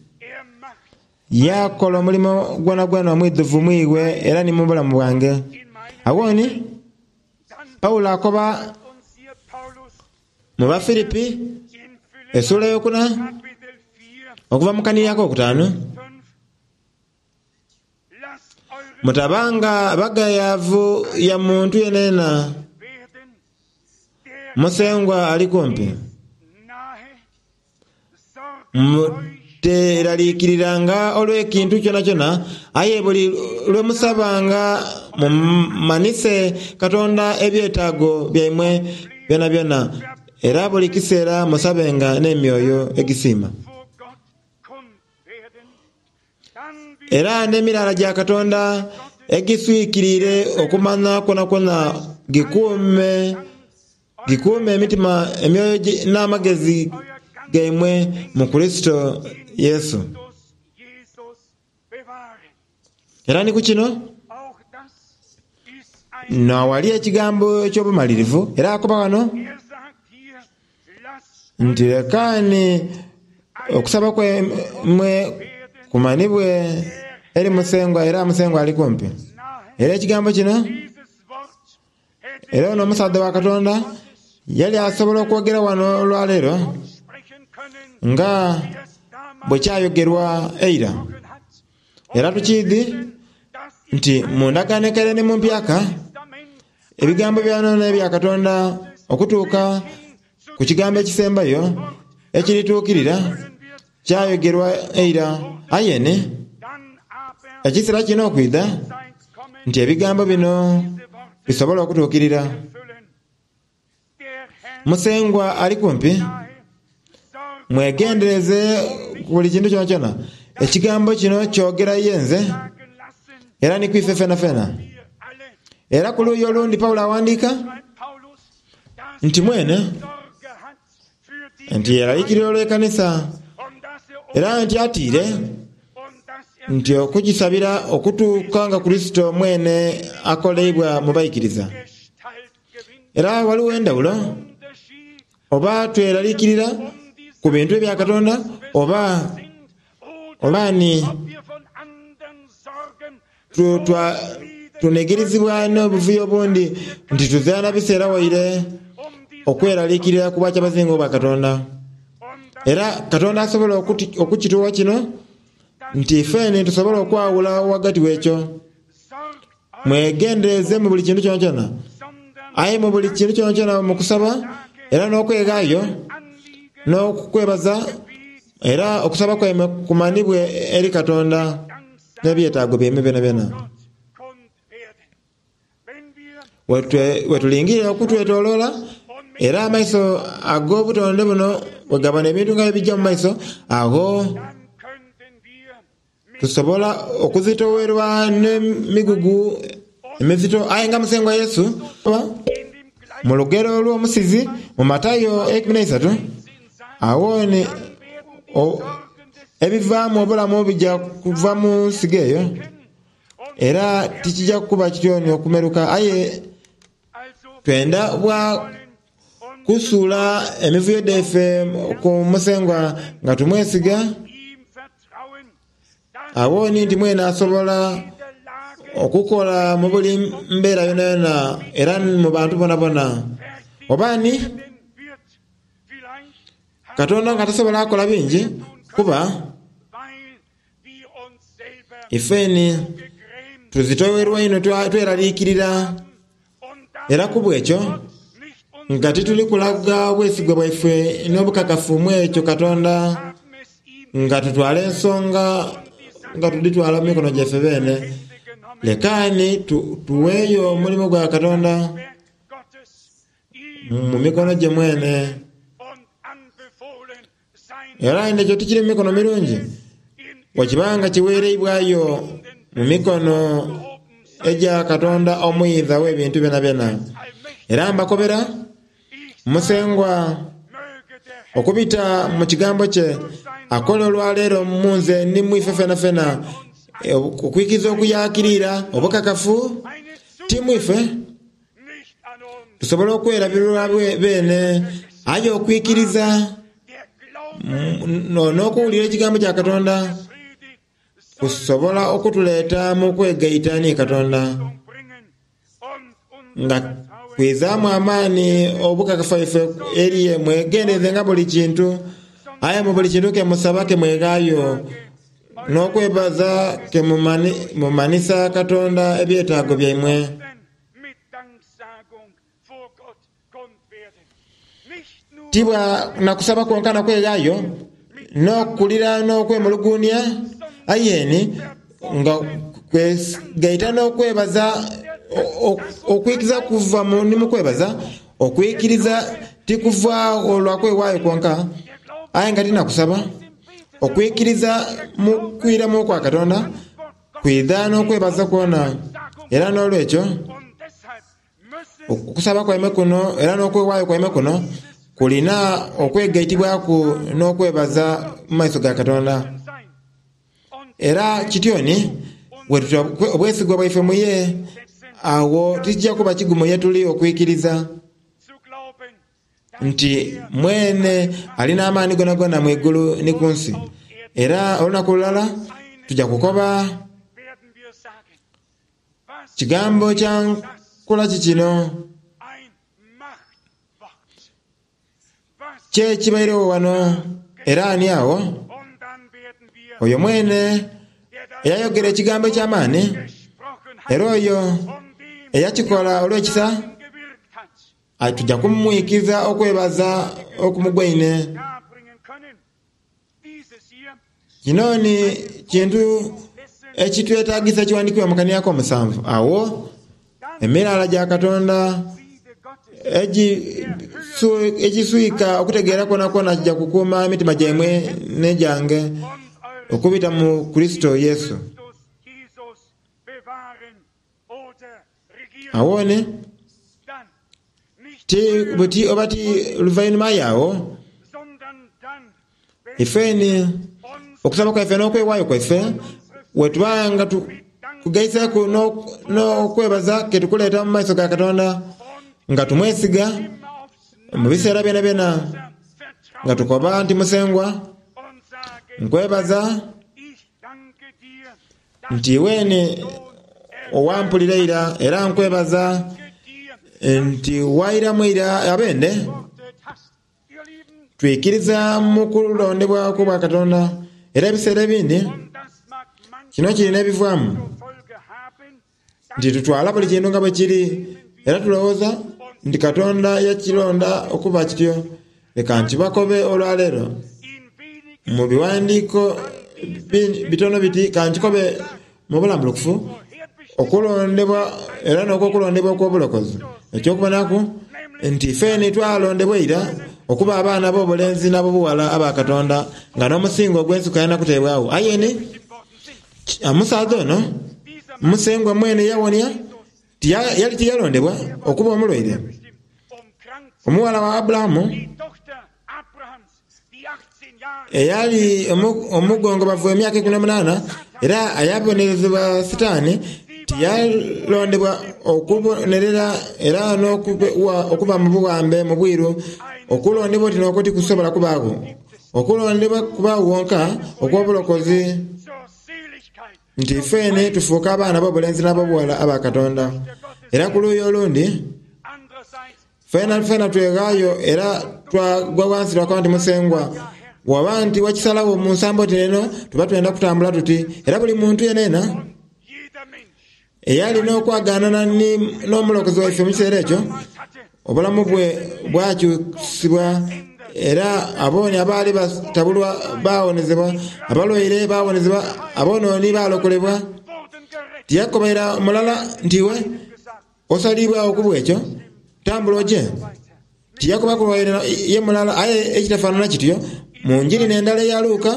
Yakola omulimo gwonagwona omwidhuvu mwiwe era ni mu bulamu bwange. In meinem Awoni dann Pawulo akoba uns hier Paulus mu Bafilipi in Philipper essuula eyokuna Kapitel vier, okuva mu kaniri akokutaanu, fünf. Lasst eure mutabanga bagayavu ya muntu yenena, werden, der Musengwa ali kumpi. nahe. Sorgt euch Muteraliikiriranga olw'ekintu kyonakyona, aye buli lwe musabanga mumanise Katonda ebyetaago byaimwe byonabyona, era buli kiseera musabenga n'emyoyo egisiima. vor Gott kund werden. Dann wird Era n'emirala gya Katonda egiswikiriire okumanya kwonakwona gikuume gikuume emitima, emyoyo gi- n'amagezi gaimwe mu Kurisito Yesu. Christus Jesus bewahren. Era ni ku kino Auch das ist ein nawali ekigambo eky'obumalirivu, era akoba wano Er sagt hier, lasst nti lekaani okusaba kwemwe kumanibwe eri Musengwa, era Musengwa ali kumpi. nahe. Era ekigambo kino, Dieses Wort hätte era ono omusaadha wa Katonda yali asobola okwogera wano olwaleero sprechen können, nga wie es damals bwe kyayogerwa eira. gesprochen hat. Era tukiidhi Dass im nti mu ndagaano enkaire ne mu mpyaka Testament ebigambo byanoona ebya Katonda okutuuka ku kigambo ekisembayo ekirituukirira kyayogerwa eira. Aye ni dann aber ekiseera kino okwidha Zeit kommen, nti ebigambo bino diese Worte bisobole okutuukirira. erfüllen. Der Herr Musengwa ali kumpi, nahe, sorgt mwegendereze ku buli kintu kyonakyona. Ekigambo kino kyogera ye nze sagen lassen, era ni kwife fenafena. wir alle, Era ku luuyi olundi Pawulo awandiika schreibt Paulus, dass nti mwene Sorge hat für die nti yeraliikirira olw'ekanisa, und dass er uns era nti atiire und dass er nti okugisabira okutuuka nga Kurisito mwene akoleibwa mu baikiriza. Gestalt gewinnt. Era waliwo endawulo Unterschied oba tweraliikirira um die ku bintu ebya Katonda oba sind oder oba ni ob wir von anderen Sorgen tu- twa- tunegirizibwa n'obuvuyo obundi nti tuzaana biseera waire um die okweraliikirira ku bwakyabazinga obwa Katonda. und das Era Katonda asobola okuti- okukituwa kino nti ffene tusobola okwawula wagati w'ekyo. sorgt euch, Mwegendereze mu buli kintu kyonakyona, sondern aye mu buli kintu kyonakyona mu kusaba era n'okwegaayo Anliegen n'okukwebaza, era okusaba kwaimwe kumanibwe eri Katonda n'ebyetaago byaimwe byonabyona. Gott kund werden. Wenn wir Wetwe- Wetulingirira okutwetooloola, era amaiso ag'obutonde buno bwe gabona ebintu nga ebijja mu maiso, ago dann könnten wir mit tusobola okuzitowerwa n'emigugu emizito. Aye nga Musengwa Yesu in dem gleichen mu lugero olw'omusizi mu Matayo ekumi n'eisatu, Sinn sein, awo ni dann werden die o- Sorgen des ebivaamu obulamu bijja kuva mu nsigo eyo, und era tikijja kuba kityoni okumeruka. Aye also twenda bwa wollen und kusuula emivuyo dhaife ku Musengwa nga tumwesiga, ihm vertrauen, dass awo ni nti mwene asobola in der Lage okukola mu buli mbeera yonayona era mu bantu bonabona. fertig Oba ni werden wird. Vielleicht haben Katonda nga tasobola akola bingi kuba weil wir uns selber ifeni gegrämt tuzitowerwa ino twa- tweraliikirira, und dass era ku bwekyo Gott nicht uns nga tituli kulaga bwesigwa bwaife n'obukakafu mu ekyo Katonda, haben es ihm nga tutwala ensonga nga tuditwala mu mikono gyaffe beene. Hände genommen. Lekaani tu- tuweeyo omulimu gwa Katonda Werk Gottes ihm mu mikono gye mwene. und anbefohlen sein Era ekyo tikiri mu mikono mirungi, in bwekibanga kiweereibwayo mu mikono egya Katonda omuyinza w'ebintu byonabyona. allmächtig. Era mbakobera Ich Musengwa möge der Herr okubita mu kigambo kye akola olwaleero mu nze ni mwife fenafena e, okwikiza okuyakirira obukakafu eine ti mwife nicht an uns. tusobole okwerabirwa bwe- beene, aye okwikiriza Der Glaube mm, no- n'okuwulira ekigambo kya Katonda predigt Kusobola okutuleeta mu kwegaita ni Katonda bringen und unser nga Vertrauen kwizaamu amaani obukakafu bwaife eriye mwegendereze nga buli kintu aye mu buli kintu ke musaba ke mweghaayo n'okwebaza ke mumani- mumanisa Katonda ebyetaago byaimwe. Mit Danksagung vor Gott kund werden. Nicht nur Tibwa nakusaba kwonka nakweghayo n'okulira n'okwemulugunya ayeni nga kwegaita n'okwebaza o- o- okwikiriza kuva mu ni mukwebaza okwikiriza tikuva olwa kwewaayo kwonka der Glaube aye nga tinakusaba okwikiriza mu kwiramu kwa Katonda kwidha n'okwebaza kwona era n'olwekyo und deshalb müssen okusaba kwaime kuno era n'okwewaayo kwaime kuno kulina okwegaitibwaku n'okwebaza mu maiso ga Katonda sein. Und era kityoni wetuta obwesigwa bwaife muye awo tikijja kuba kigumu ye tuli okwikiriza zu glauben, dass nti mwene alina amaani gonagona mu igulu ni ku nsi era olunaku lulala tujja kukoba werden wir sagen, was kigambo kya nkola ki kino ein Machtwort. Was kye kibairewo wano era ani awo und dann werden wir, oyo mwene der das eyayogera ekigambo eky'amaani gesprochen hat era oyo und dem eyakikola olw'ekisa gewirkt hat, tujja kumwikiza okwebaza okumugwaine darbringen können. Dieses hier kino ni kintu ekitwetagisa ekiwandiikibwa mu kaniako omusanvu awo emirala gya Katonda Friede Gottes egisu- egiswika okutegeera kwona kwona kijja kukuuma emitima gyaimwe n'egyange und eure okubita mu Kristo Yesu. Christus Jesus bewahren oder regieren. Awone Dann nicht ti buti oba ti luvainuma yawo sondern dann, wenn ifeni uns okusaba kwaife n'okwewaayo kwaife wetubanga tu- kugaiseku n'ok- n'okwebaza ketukuleeta mu maiso ga Katonda und nga tumwesiga immer aufs mu biseera byona byona Vertrauen nga tukoba nti Musengwa und sagen, nkwebaza ich danke dir, dass nti iweeni owampulira ira era nkwebaza ich dir nti wairamu ira abende geantwortet hast. Ihr Lieben, twikiriza mu kulondebwako bwa Katonda era ebiseera ebindi und das mag kino manchmal kirina ebivaamu zur Folge haben, nti tutwala buli kintu nga bwe kiri era tulowooza nti Katonda yakironda okuba kityo leka nkibakobe olwaleero in wenigen mu biwandiiko bi- bitono biti kankikobe mu bulambulukufu vorherbestimmten okulondebwa era n'okwokulondebwa okw'obulokozi ekyokubonaku nti ffeni twalondebwa ira okuba abaana b'obulenzi n'ab'obuwala aba Katonda nga n'omusingo ogw'ensi kuyana kuteebwawo ayeni Worten sind. omusaadha ono Dieser Musengwa mwene yawonia tiya- yali tiyalondebwa okuba omulwaire bestimmt, um krank zu omuwala wa Abulahamu Die Tochter Abrahams, die achtzehn Jahre eyali omu- omugongobavu emyaka ikumi n'omunaana era ayabonerezebwa Sitaani tiyalondebwa okubonerera era n'okuba okuba mu buwambe mu bwiru okulondebwa oti n'okwo tikusobola kubaagwo okulondebwa kubaawo wonka okw'obulokozi zur Seligkeit nti ffene tufuuke abaana b'obulenzi n'ab'obuwala aba Katonda era ku luuyi olundi andererseits fena fena tweghaayo era twagwa wansi lwakuba nti Musengwa waba nti wakisalawo mu nsambo oti neno tuba twenda kutambula tuti era buli muntu yenena und jeder Mensch eyalina okwagaanana ni- n'omulokozi waife mu kiseera ekyo damals hatte obulamu bwe bwakyusibwa era abooni abaali batabulwa bawonezebwa abalwaire bawonezebwa abonooni balokolebwa wurden gerettet tiyakobaira mulala nti iwe gesagt osalibwawo ku bwekyo tambula oje tiyakuba kulwaire ye mulala aye ekitafaanana kityo mu njiri n'endala eya Luuka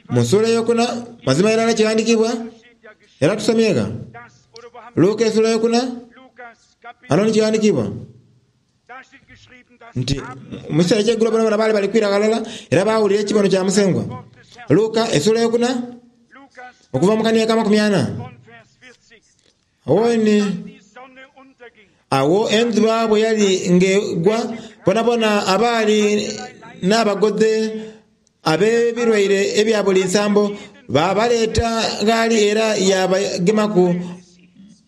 mu ssuula eyokuna mazima irala kiwandikibwa steht ja geschrieben era tusomyega das oder wo haben wir Luuka essuula eyokuna Lukas Kapitel ano nikiwandikibwa da steht geschrieben dass nti Abraham mu kiseera ekyeggulo bonabona baali bali kwira ghalala era baawulira ekibono kya Musengwa Wort des Herrn Luuka essuula eyokuna Lukas okuva mu kaniya ka makumi ana von Vers vierzig awo ni die Sonne unterging awo enjuba bwe yali ng'egwa bonabona abaali n'abagodde ab'ebirwaire ebya buli nsambo Babaleeta ghali era yabagemaku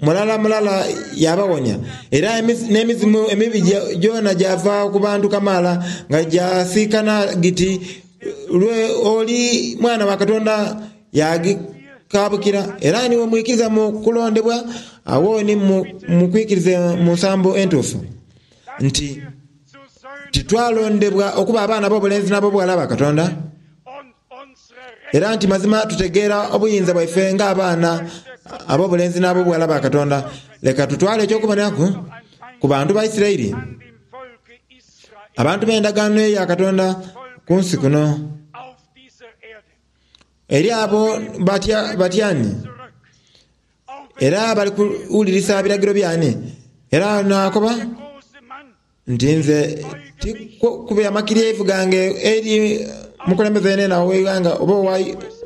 mulala mulala yabawonia. Era n'emizimu emibi gyona gyava ku bantu kamaala nga gyasiikana giti, lwe oli mwana wa Katonda yagikabukira. Era niwe mwikiriza mu kulondebwa, awo ni mukwikirize mu nsambo entuufu nti titwalondebwa okuba abaana b'obulenzi n'ab'obuwala ba Katonda, era nti mazima tutegeera obuyinza bwaife ng'abaana ab'obulenzi n'ab'obuwala ba Katonda. Leka tutwale ekyokuboneraku ku bantu ba Isirairi, abantu b'endagaano ya Katonda ku nsi kuno. Eri abo batya batyani, era bali kuwulirisa biragiro byani. Era nakoba nti nze tikube amakiryevu gange eri mukulembeze yenena ow'eighanga oba owa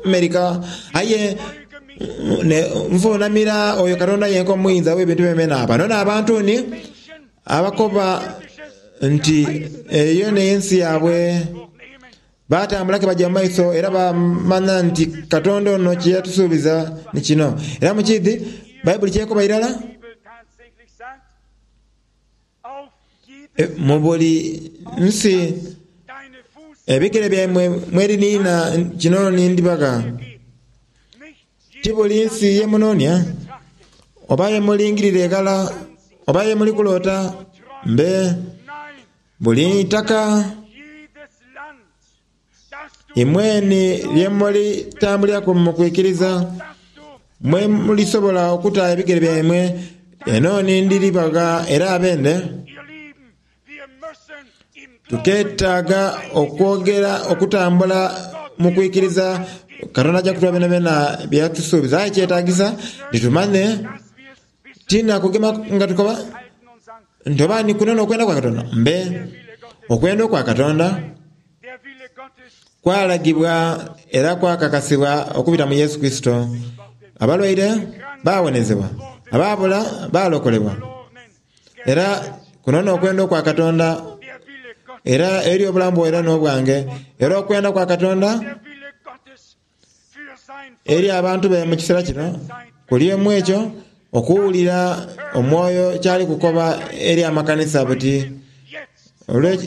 Amerika, aye nvunamira oyo Katonda yenka omuyinza w'ebintu byemena. Bano n'abantu ni abakoba nti eyo n'ensi yaabwe, batambula ke bajja mu maiso era bamanya nti Katonda ono kye yatusuubiza ni kino. Era mukidhi Bayibuli kyekoba irala mu buli nsi ebigere byaimwe mweriniina kino nindibaga. Ti buli nsi yemunoonia oba yemulingirira eghala oba yemuli kuloota, mbe buli itaka imweni lyemulitambuliraku mu kwikiriza, mwe mulisobola okuta ebigere byaimwe eno nindiribaga. Era abende tuketaaga okwogera okutambula mu kwikiriza. Katonda ajja kutuwa byonabyona byatusuubiza, aye kyetagisa titumanye tina kugema nga tukoba nti oba ni kuno n'okwenda kwa Katonda. Mbe okwenda okwa Katonda kwalagibwa era kwakakasibwa okubita mu Yesu Kristo. Abalwaire bawonezebwa, abaabula balokolebwa. Era kuno n'okwenda okwa Katonda, era eri obulamu bwo era n'obwange. Era okwenda kwa Katonda eri abantu be mu kiseera kino kuli emu ekyo okuwulira omwoyo kyali kukoba eri amakanisa buti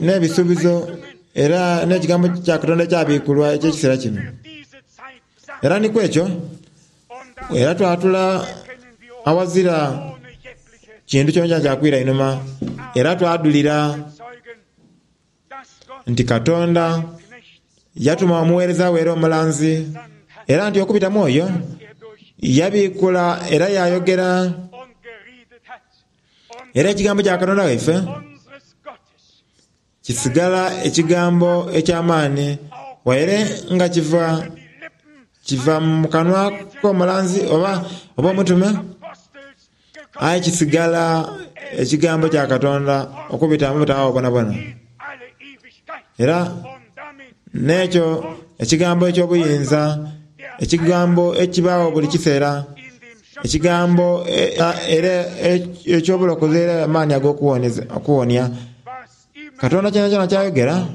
n'ebisuubizo era n'ekigambo kya Katonda ekyabikulwa eky'ekiseera kino. Era nikwo ekyo era twatula awazira kintu kyonkyona kyakwira inhuma, era twadulira nti Katonda yatuma omuweereza we era omulanzi, era nti okubita mu oyo yabikula era yayogera. Era ekigambo kya Katonda waife kisigala ekigambo eky'amaani, waire nga kiva kiva mu kanwa k'omulanzi oba oba omutume, aye kisigala ekigambo kya Katonda okubita mu butaawo bwonabwona. Era n'ekyo ekigambo eky'obuyinza, ekigambo ekibaawo buli kiseera, ekigambo era eky'obulokozi era amaani ag'okuwonia. Katonda kyonakyona kyayogera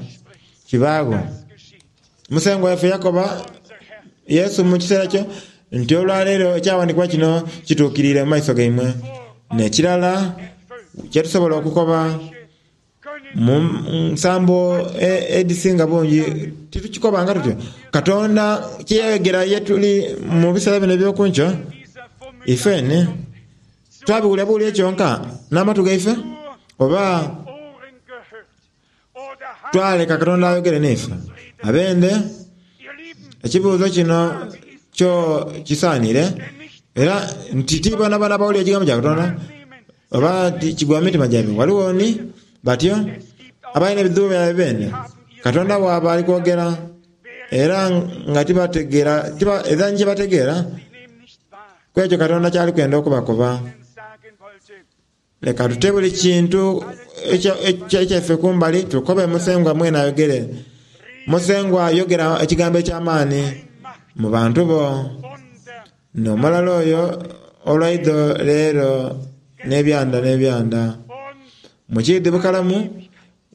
kibaagho. Musengwa waife yakoba Yesu mu kiseera kyo nti olwaleero ekyawandiikibwa kino kituukiriire mu maiso gaimwe. N'ekirala kyetusobola okukoba mu nsambo edhisinga bungi titukikobanga tutyo. Katonda kyeyayogera ye tuli mu biseera bino eby'okunkyo, ifeni twabiwulira buwulire kyonka n'amatu gaife, oba twaleka Katonda ayogere n'ife. Abende ekibuuzo kino kyo kisaanire, era nti ti bonabona abawulira ekigambo kya Katonda oba kigwa mu mitima gyaibwe. Waliwo ni batyo abalina ebizibu byaibwe bene Katonda bw'aba ali kwogera era nga tibategeera, era ni kyebategeera ku ekyo Katonda kyali kwenda okubakoba. Leka tute buli kintu ekyaife kumbali tukobe Musengwa mwene ayogere. Musengwa yogera ekigambo eky'amaani mu bantu bo. N'omulala oyo olwaidho leero n'ebyanda n'ebyanda. Mukiidhi bukalamu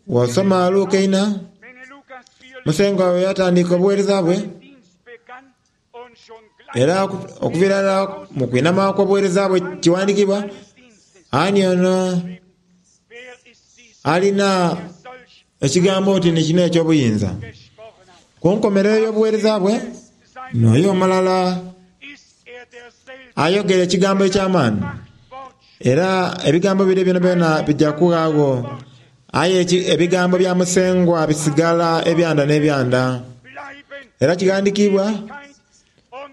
bw'osoma Luka eina, Musengwa we yatandika obuweereza bwe Era okuviira irala mu kwinhama kw'obuweereza bwe kiwandiikibwa, ani ono alina ekigambo oti ni kino eky'obuyinza? Ku nkomerero y'obuweereza bwe, n'oyo omulala ayogera ekigambo eky'amaani, era ebigambo bire byonabyona bija kughagho, aye ebigambo bya Musengwa bisigala ebyanda n'ebyanda. Era kighandiikibwa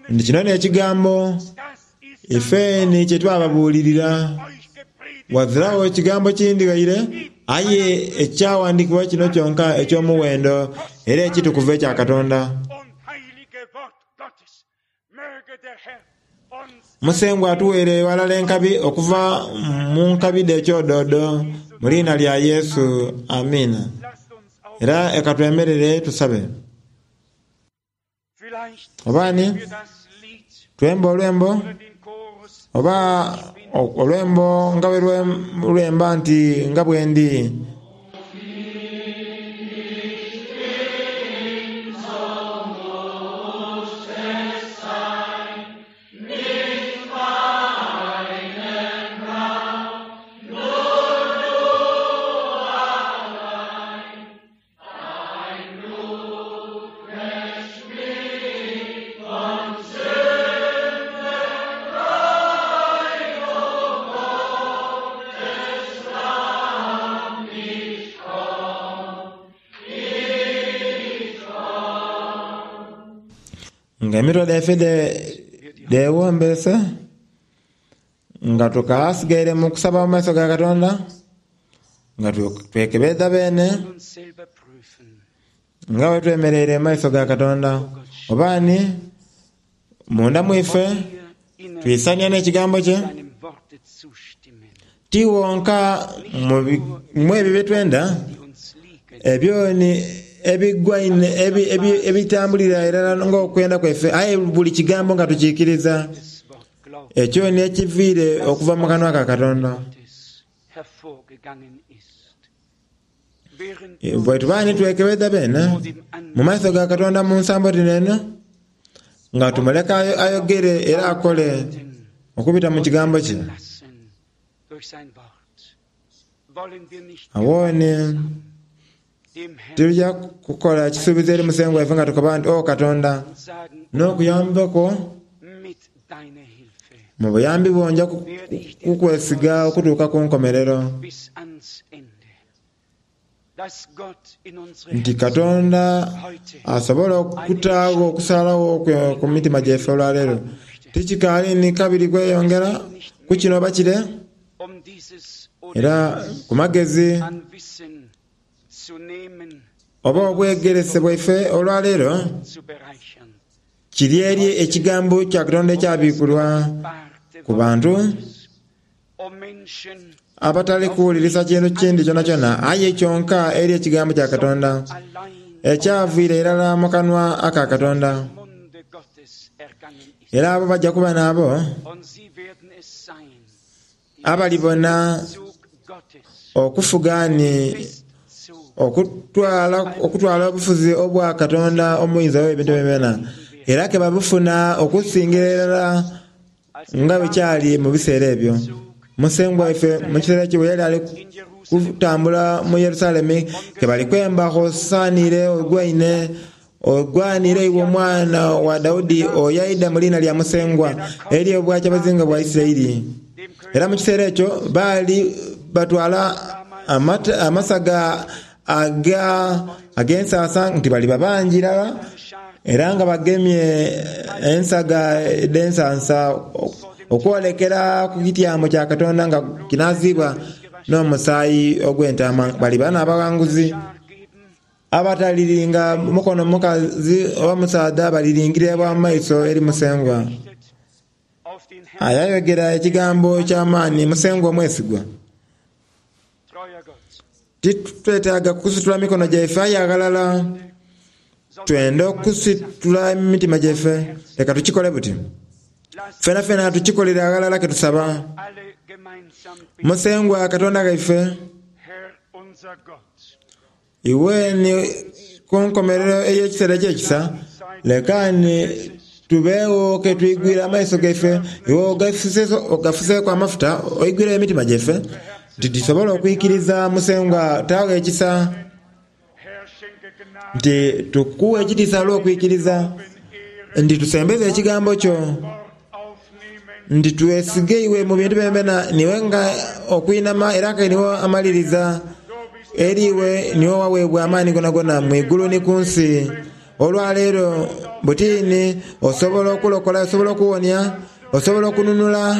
nti kino n'ekigambo ifeni kye twababuulirira. Ghaziragho ekigambo kindi ghaire, aye ekyawandiikibwa kino kyonka eky'omughendo era ekitukuvu ekya Katonda. Musengwa atuweere ghalala enkabi okuva mu nkabi dh'ekyododo mu liina lya Yesu, amiina. Era eka twemerere tusabe. Oba ni twembe olwembo oba olwembo nga bwe lwemba nti nga bwendi. Nga emitwe dhaife dhewombese nga tukasigaire mu kusaba mu maiso ga Katonda, nga twekebeza bene nga bwe twemereire mu maiso ga Katonda. Oba ni munda mwife twisania n'ekigambo kye, ti wonka mu ebyo bye twenda, ebyo ni ebigwaine ebitambulira irala ng'okwenda kwaife, aye buli kigambo nga tukikiriza ekyo ni ekiviire okuva mu kanwa ka Katonda. Bwe tuba ni twekebeza bene mu maiso ga Katonda mu nsambo dhino eno, nga tumuleka ayogere era akole okubita mu kigambo kye. Awo ni tulija kukola ekisuubizo eri Musengwa waife nga tukoba nti, O Katonda, n'okuyambako mu buyambi bwo nja kukwesiga okutuuka ku nkomerero. Nti Katonda asobola okutaagho okusalagho kwe ku mitima gyaife olwaleero. Tikikaali ni kabiri kweyongera ku kino oba kire, era ku magezi oba obwegerese bwaife olwaleero kiri eri ekigambo kya Katonda ekyabikulwa ku bantu abatali kuwulirisa kintu kindi kyonakyona, aye kyonka eri ekigambo kya Katonda ekyaviire irala mu kanwa aka Katonda. Era abo bajja kuba n'abo abalibona okufuga ni okutwala okutwala obufuzi obwa Katonda omuyinza w'ebintu byona, era ke babufuna okusingira irala nga bwe kyali mu biseera ebyo. Musengwa waife mu kiseera ekyo bwe yali ali kutambula mu Yerusalemi, ke bali kwemba hosanire ogwaine ogwanire iwe omwana wa Daudi oyaidha mu liina lya Musengwa eri obwakyabazinga bwa Isiraeli. Era mu kiseera ekyo baali batwala amasaga ag'ensansa nti bali babangi irala, era nga bagemye ensaga edh'ensansa okwolekera ku kityamo kya Katonda nga kinaazibwa n'omusaayi ogw'entaama. Bali bana abaghanguzi abataliringa mukono mukazi oba musaadha, baliringirira bwa mu maiso eri Musengwa. Aye ayogera ekigambo eky'amaani, Musengwa omwesigwa. Titwetaaga kusitula mikono gyaife, aye aghalala twenda okusitula emitima gyaife. Leka tukikole buti. Fena fena tukikolere aghalala ke tusaba. Musengwa Katonda ghaife, iwe ni ku nkomerero ey'ekiseera eky'ekisa, leka ni Tubeewo ke twigwire amaiso gaife, iwe ogafuseeku amafuta, oigwire emitima gyaife, nti tusobole okwikiriza Musengwa taagho ekisa, Herr, schenke Gnade, nti tukuwa ekitiisa olw'okwikiriza, nti tusembeze ekigambo kyo, Wort aufnehmen, nti twesige iwe mu bintu byona niwe nga okwinama era nga niwe amaliriza eri iwe niwe waweebwa amaani gonagona mu igulu ni ku nsi. Olwaleero butini osobola okulokola, osobola okuwonia, osobola okununula,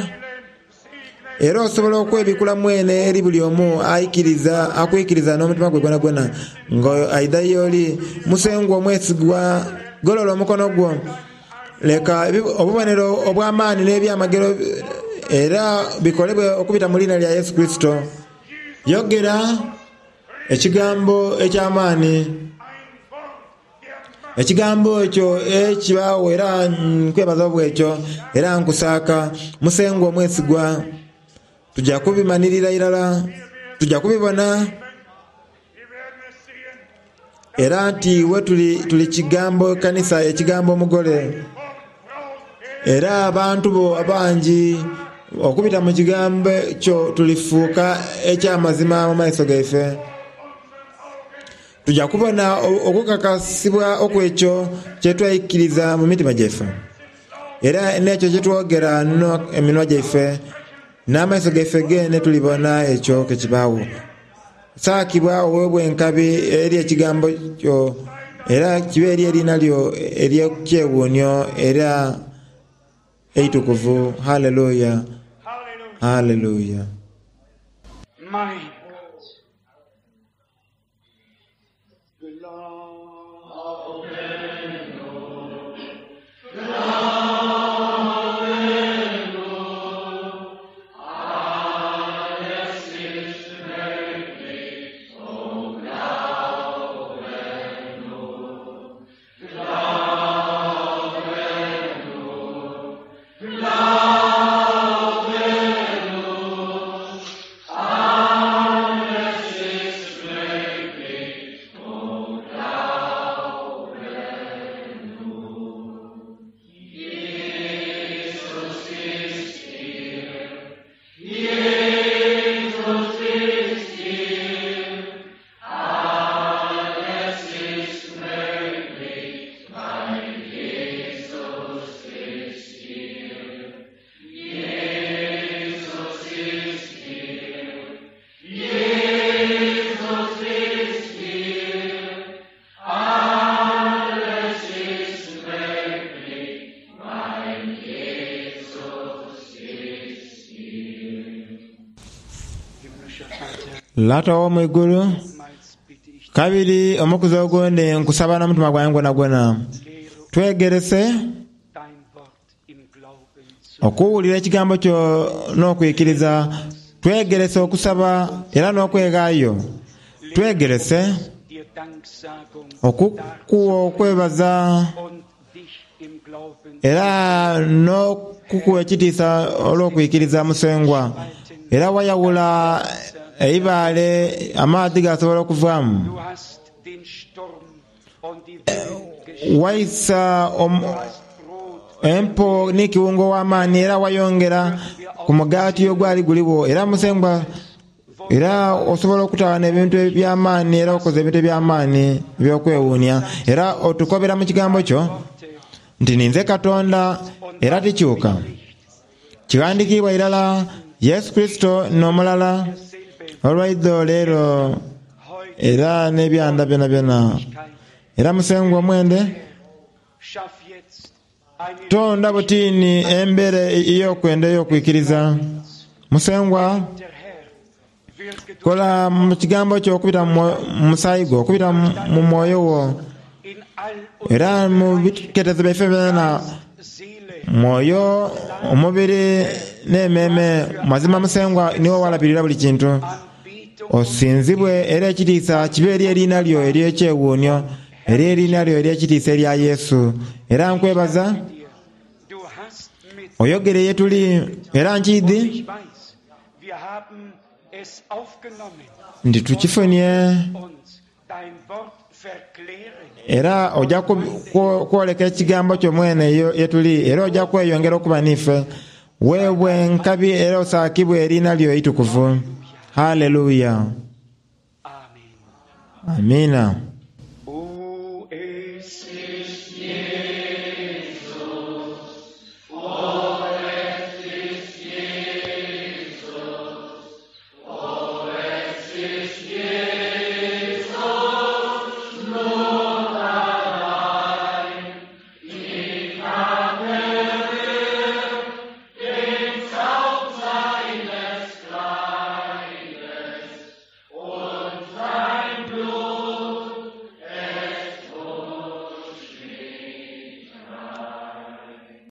era osobola okwebikula mwene eri buli omu aikiriza akwikiriza n'omutima gwe gwonagwona nga aidha y'oli. Musengwa omwesigwa, golola omukono gwo, leka ebi- obubonero obw'amaani n'ebyamagero era bikolebwe okubita mu liina lya Yesu Kristo. Yogera ekigambo eky'amaani, ein Wort der Macht, ekigambo ekyo ekibaawo, era nkwebaza obwekyo era nkusaaka. Musengwa omwesigwa, tujja kubimanirira irala, tujja kubibona, wir werden es sehen, era nti iwe tuli, tuli kigambo kanisa, ekigambo omugole. Wort Braut, Era abantu bo abangi okubita mu kigambo kyo tulifuuka ekyamazima mu maiso gaife. Tujja kubona o- okukakasibwa okwekyo kyetwaikiriza mu mitima gyaife, era n'ekyo kyetwogera no eminwa gyaife n'amaiso gaife gene tulibona ekyo kekibaawo. Saakibwa oweebwa enkabi eri ekigambo kyo, era kibe eri eriina lyo ery'ekyewuunyo era eitukuvu. Haleluya, Halleluja. haleluya. Mein Gott. Himmlischer Vater, Lata ow'omwigulu, nochmals bitte ich kabiri omukuzi ogundi nkusaba n'omutima gwange gwonagwona, lehre twegerese dein Wort im Glauben zu okuwulira ekigambo kyo n'okwikiriza, twegerese okusaba era n'okweghaayo, twegerese dir Danksagung okukuwa okwebaza und dich im Glauben era n'okukuwa ekitiisa olw'okwikiriza Musengwa. Era wayawula eibaale amaadhi gasobola okuvaamu, Du hast den Sturm und die Wellen gestillt. waisa om- Du hast Brot empo n'ikiwungo w'amaani, era wayongera ku mugaati ogwali guliwo. Era Musengwa, era osobola okutawana ebintu eby'amaani, era okoze ebintu eby'amaani ebyokwewuunia, era otukobera mu kigambo kyo Worte nti ninze Katonda era tikyuka. Kiwandiikibwa irala Yesu Kristo n'omulala derselbe olwaidho leero heute era n'ebyanda byonabyona. Era Musengwa omwende, schaff jetzt eine tonda butini embeera ey'okwenda ey'okwikiriza. Musengwa, der Herr wirke durch kola mu kigambo kyo okubita mu mwo- mu musaayi gwo, okubita mu mu mwoyo wo, in all era mu unseren biketezo byaife byona, Seele mwoyo, omubiri n'emmeeme. Mazima Musengwa niwe walabirira buli kintu. Anbetung Osinzibwe era ekitiisa kibe eri eriina lyo ery'ekyewuunyo, eri eriina lyo ery'ekitiisa erya Yesu. Era nkwebaza dir. Du hast mit oyogere ye tuli, era nkiidhi ich weiß, wir haben es aufgenommen nti tukifunye uns dein Wort verklären. Era ojja ku- ku- kwoleka ekigambo kyo mwene yo- yetuli, era ojja kweyongera okuba nife. Weebwe enkabi era osaakibwe eriina lyo eitukuvu. Haleluya. Amen. Amiina.